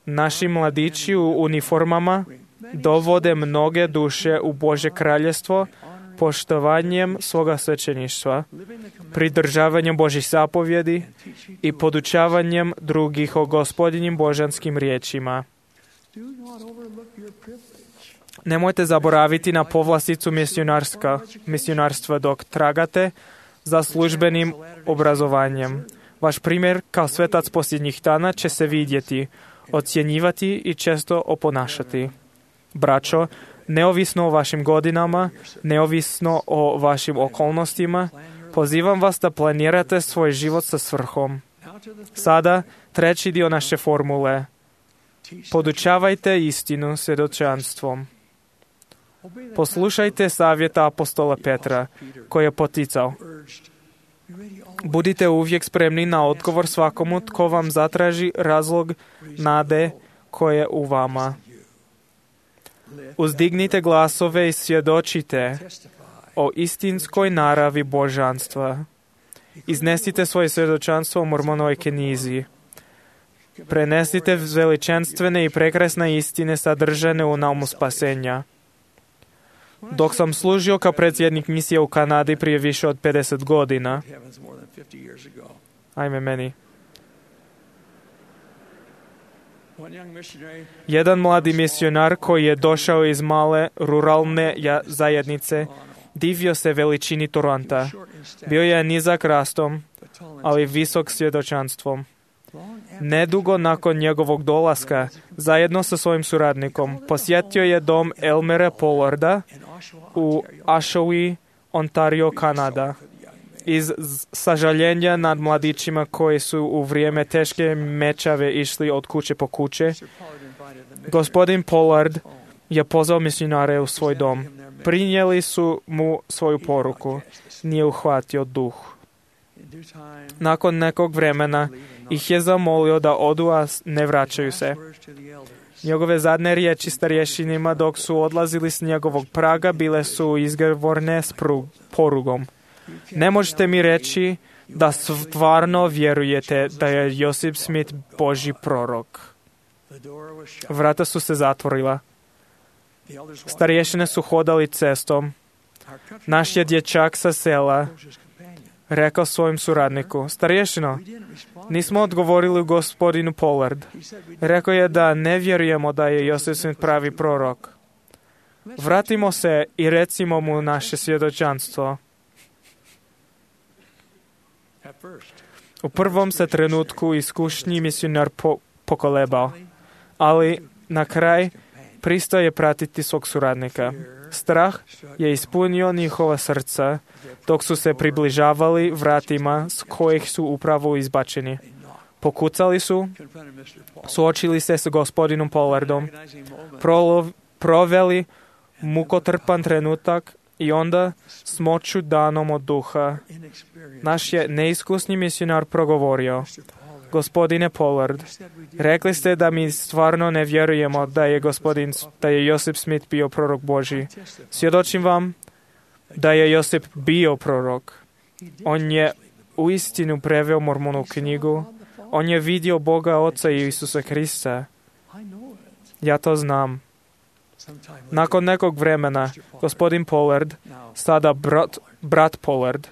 naši mladići u uniformama dovode mnoge duše u Božje kraljestvo poštovanjem svoga svećeništva, pridržavanjem Božjih zapovjedi i podučavanjem drugih o gospodinim božanskim riječima. Nemojte zaboraviti na povlasticu misionarstva dok tragate za službenim obrazovanjem. Vaš primjer kao svetac posljednjih dana će se vidjeti, ocjenjivati i često oponašati. Braćo, neovisno o vašim godinama, neovisno o vašim okolnostima, pozivam vas da planirate svoj život sa svrhom. Sada, treći dio naše formule. Podučavajte istinu svjedočanstvom. Poslušajte savjeta apostola Petra, koji je poticao. Budite uvijek spremni na odgovor svakomu tko vam zatraži razlog nade koje je u vama. Uzdignite glasove i svjedočite o istinskoj naravi božanstva. Iznesite svoje svjedočanstvo u Mormonovoj knjizi. Prenesite veličanstvene i prekrasne istine sadržane u naumu spasenja. Dok sam služio kao predsjednik misije u Kanadi prije više od pedeset godina, ajme meni, jedan mladi misionar koji je došao iz male ruralne zajednice divio se veličini Toronta. Bio je nizak rastom, ali visok svjedočanstvom. Nedugo nakon njegovog dolaska, zajedno sa svojim suradnikom, posjetio je dom Elmera Pollarda u Oshawa, Ontario, Kanada. Iz sažaljenja nad mladićima koji su u vrijeme teške mečave išli od kuće po kuće, gospodin Pollard je pozvao misionare u svoj dom. Prinijeli su mu svoju poruku. Nije uhvatio duh. Nakon nekog vremena ih je zamolio da odu, a ne vraćaju se. Njegove zadnje riječi starješinima dok su odlazili s njegovog praga bile su izgovorene s porugom. Ne možete mi reći da stvarno vjerujete da je Josip Smith Božji prorok. Vrata su se zatvorila. Starješine su hodali cestom. Naš je dječak sa sela rekao svojim suradniku: starješino, nismo odgovorili gospodinu Pollard. Rekao je da ne vjerujemo da je Josip Smith pravi prorok. Vratimo se i recimo mu naše svjedočanstvo. U prvom se trenutku iskušnji misionar po, pokolebao, ali na kraj pristao je pratiti svog suradnika. Strah je ispunio njihova srca dok su se približavali vratima s kojih su upravo izbačeni. Pokucali su, suočili se s gospodinom Pollardom, prolov, proveli mukotrpan trenutak i onda s moću danom od duha naš je neiskusni misionar progovorio: gospodine Pollard, rekli ste da mi stvarno ne vjerujemo da je gospodin, da je Josip Smith bio prorok Božji. Svjedočim vam da je Josip bio prorok. On je uistinu preveo Mormonu knjigu. On je vidio Boga Oca i Isusa Krista. Ja to znam. Nakon nekog vremena, gospodin Pollard, sada brat, brat Pollard,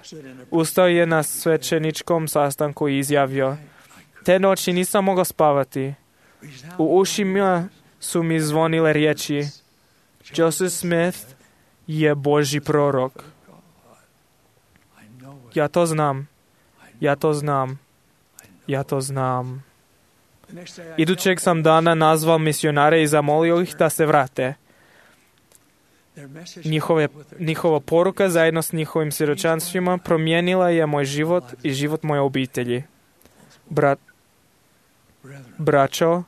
ustao je na svećeničkom sastanku i izjavio: te noći nisam mogao spavati. U ušima su mi zvonile riječi: Joseph Smith je Božji prorok. Ja to znam. Ja to znam. Ja to znam. Idućeg sam dana nazval misionare i zamolio ih da se vrate. Njihove, njihova poruka zajedno s njihovim svjedočanstvima promijenila je moj život i život moje obitelji. Brat, braćo,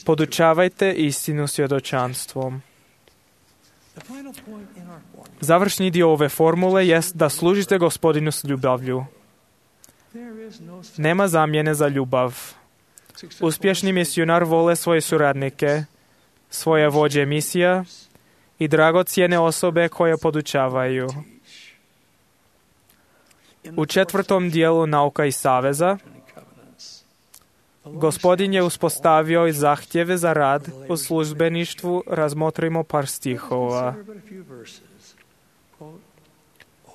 podučavajte istinu svjedočanstvom. Završni dio ove formule jest da služite gospodinu s ljubavlju. Nema zamjene za ljubav. Uspješni misionar vole svoje suradnike, svoje vođe misija i dragocjene osobe koje podučavaju. U četvrtom dijelu Nauka i saveza Gospodin je uspostavio i zahtjeve za rad u službeništvu. Razmotrimo par stihova.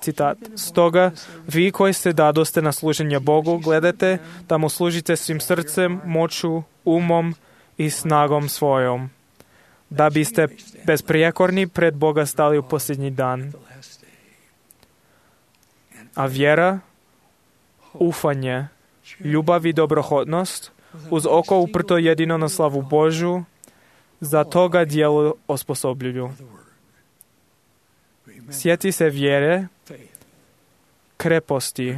Citat: stoga, vi koji se dadoste na služenje Bogu, gledajte da mu služite svim srcem, moću, umom i snagom svojom. da biste besprijekorni pred Boga stali u posljednji dan. A vjera, ufanje, ljubav i dobrohotnost, uz oko uprto jedino na slavu Božju, za toga djelo osposobljuju. Sjeti se vjere, kreposti,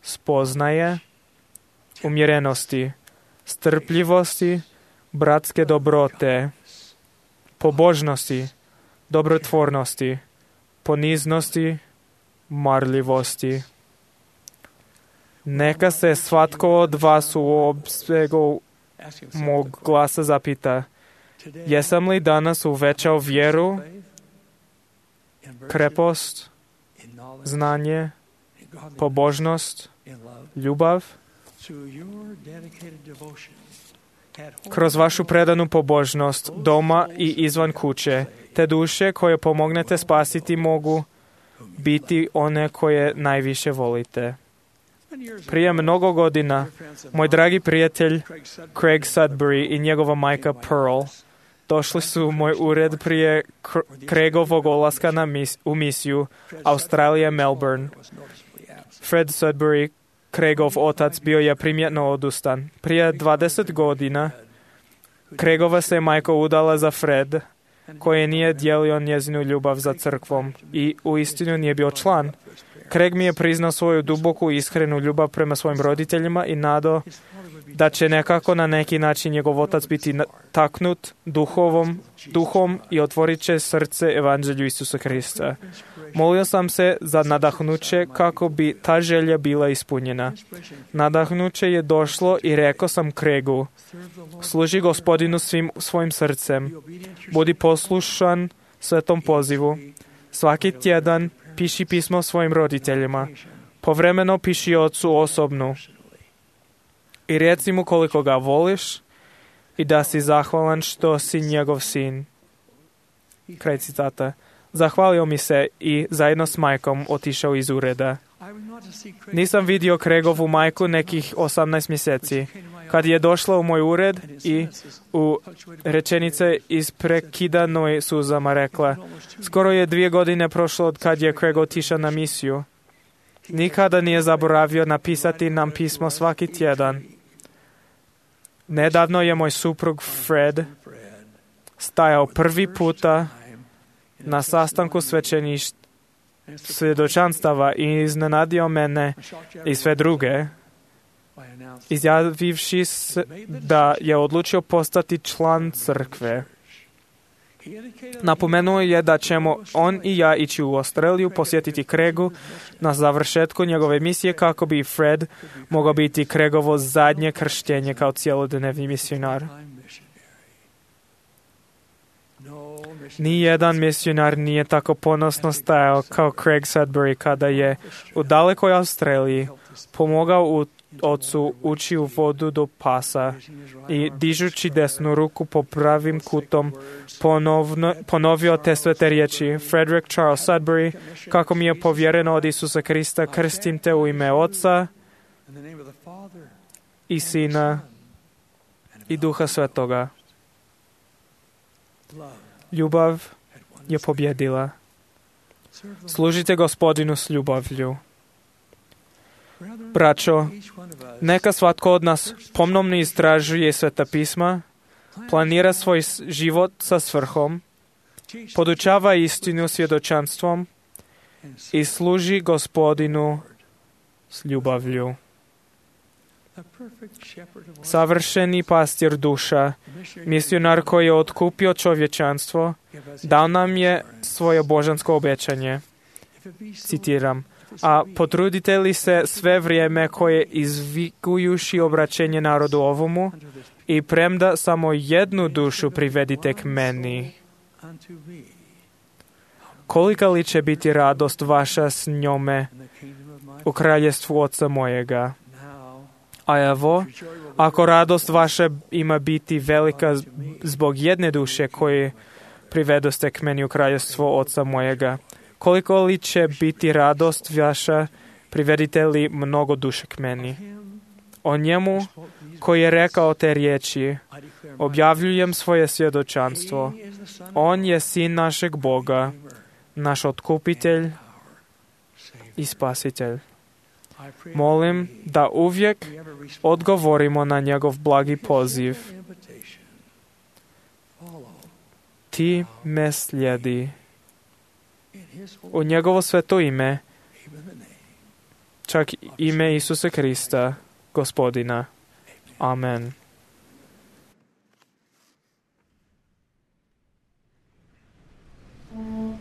spoznaje, umjerenosti, strpljivosti, bratske dobrote, pobožnosti, dobrotvornosti, poniznosti, marljivosti. Neka se svatko od vas u opsegu mog glasa zapita, jesam li danas uvećao vjeru, krepost, znanje, pobožnost, ljubav? Kroz vašu predanu pobožnost, doma i izvan kuće, te duše koje pomognete spasiti mogu biti one koje najviše volite. Prije mnogo godina, moj dragi prijatelj Craig Sudbury i njegova majka Pearl došli su u moj ured prije Craigovog odlaska na mis- u misiju Australija, Melbourne. Fred Sudbury, Craigov otac, bio je primjetno odustan. Prije dvadeset godina Craigova se majka udala za Fred, koji nije dijelio njezinu ljubav za crkvom i uistinu nije bio član. Craig mi je priznao svoju duboku i iskrenu ljubav prema svojim roditeljima i nadao da će nekako na neki način njegov otac biti taknut duhovom, duhom i otvorit će srce evanđelju Isusa Krista. Molio sam se za nadahnuće kako bi ta želja bila ispunjena. Nadahnuće je došlo i rekao sam Craigu, služi Gospodinu svim svojim srcem, budi poslušan svetom pozivu. Svaki tjedan piši pismo svojim roditeljima, povremeno piši ocu osobnu i reci mu koliko ga voliš i da si zahvalan što si njegov sin. Kraj citata. Zahvalio mi se i zajedno s majkom otišao iz ureda. Nisam vidio Craigovu majku nekih osamnaest mjeseci. Kad je došla u moj ured i u rečenice isprekidanoj suzama rekla, skoro je dvije godine prošlo od kad je Craig otišao na misiju. Nikada nije zaboravio napisati nam pismo svaki tjedan. Nedavno je moj suprug Fred stajao prvi puta na sastanku svećeništva svjedočanstava i iznenadio mene i sve druge, izjavivši da je odlučio postati član crkve. Napomenuo je da ćemo on i ja ići u Australiju posjetiti Craigu na završetku njegove misije kako bi Fred mogao biti Craigovo zadnje krštenje kao cjelodnevni misionar. Nijedan misionar nije tako ponosno stajao kao Craig Sudbury kada je u dalekoj Australiji pomogao u ocu ući u vodu do pasa i dižući desnu ruku po pravim kutom ponovno, ponovio te svete riječi. Frederick Charles Sudbury, kako mi je povjereno od Isusa Krista, krstim te u ime Oca i Sina i Duha Svetoga. Ljubav je pobjedila. Služite Gospodinu s ljubavlju. Braćo, neka svatko od nas pomnomno istražuje Sveta pisma, planira svoj život sa svrhom, podučava istinu svjedočanstvom i služi Gospodinu s ljubavlju. Savršeni pastir duša, misionar koji je otkupio čovječanstvo, dao nam je svoje božansko obećanje. Citiram, a potrudite li se sve vrijeme koje izvikujuši obraćenje narodu ovomu i premda samo jednu dušu privedite k meni. Kolika li će biti radost vaša s njome u kraljestvu Oca mojega? A evo, ako radost vaša ima biti velika zbog jedne duše koje privedoste k meni u kraljevstvo Oca mojega, koliko li će biti radost vaša privedite li mnogo duše k meni? o njemu koji je rekao te riječi, objavljujem svoje svjedočanstvo. On je sin našeg Boga, naš otkupitelj i spasitelj. Molim da uvijek odgovorimo na njegov blagi poziv. Ti me slijedi. U njegovo sveto ime, čak ime Isusa Krista, Gospodina. Amen. Now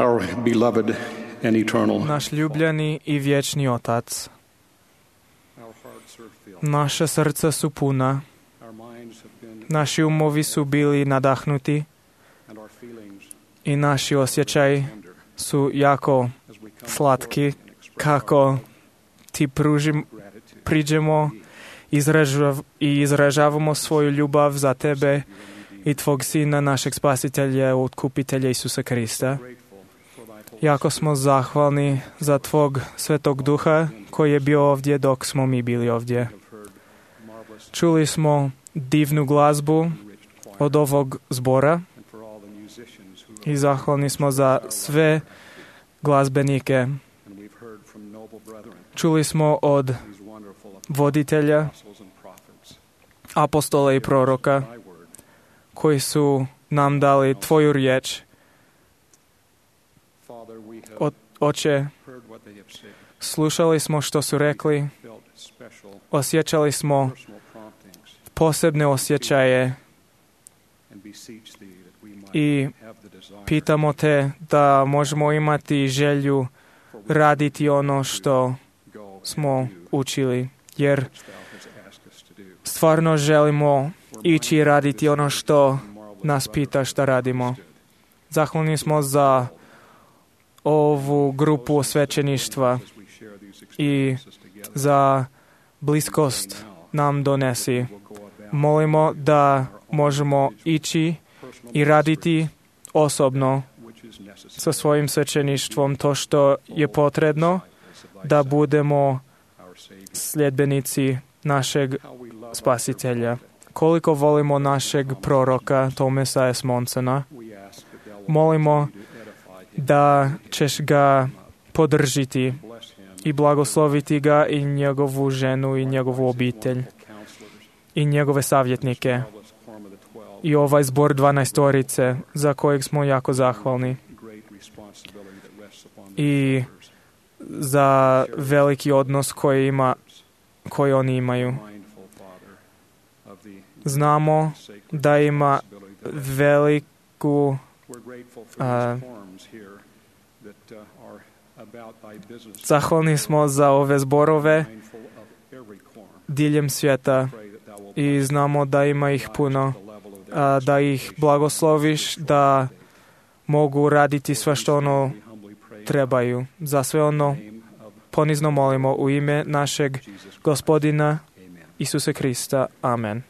our beloved and eternal. naš ljubljeni i vječni Otac. Naša srca su puna, naši umovi su bili nadahnuti i naši osjećaji su jako slatki kako ti pružim, priđemo izražav, i izražavamo svoju ljubav za tebe i tvog Sina, našeg Spasitelja, Otkupitelja Isusa Krista. Jako smo zahvalni za tvog Svetog Duha koji je bio ovdje dok smo mi bili ovdje. Čuli smo divnu glazbu od ovog zbora i zahvalni smo za sve glazbenike. Čuli smo od voditelja, apostola i proroka koji su nam dali tvoju riječ. O, Oče, slušali smo što su rekli, osjećali smo posebne osjećaje i pitamo te da možemo imati želju raditi ono što smo učili, jer stvarno želimo ići i raditi ono što nas pita šta radimo. Zahvalni smo za ovu grupu svećeništva i za bliskost nam donesi. Molimo da možemo ići i raditi osobno sa svojim svećeništvom to što je potrebno da budemo sljedbenici našeg Spasitelja. Koliko volimo našeg proroka Tomasa S. Monsona, molimo da ćeš ga podržiti i blagosloviti ga i njegovu ženu i njegovu obitelj i njegove savjetnike i ovaj zbor dvanaestorice za kojeg smo jako zahvalni i za veliki odnos koji, ima, koji oni imaju. Znamo da ima veliku a, zahvalni smo za ove zborove diljem svijeta i znamo da ima ih puno, a, da ih blagosloviš, da mogu raditi sve što ono trebaju. Za sve ono ponizno molimo u ime našeg Gospodina Isusa Krista. Amen.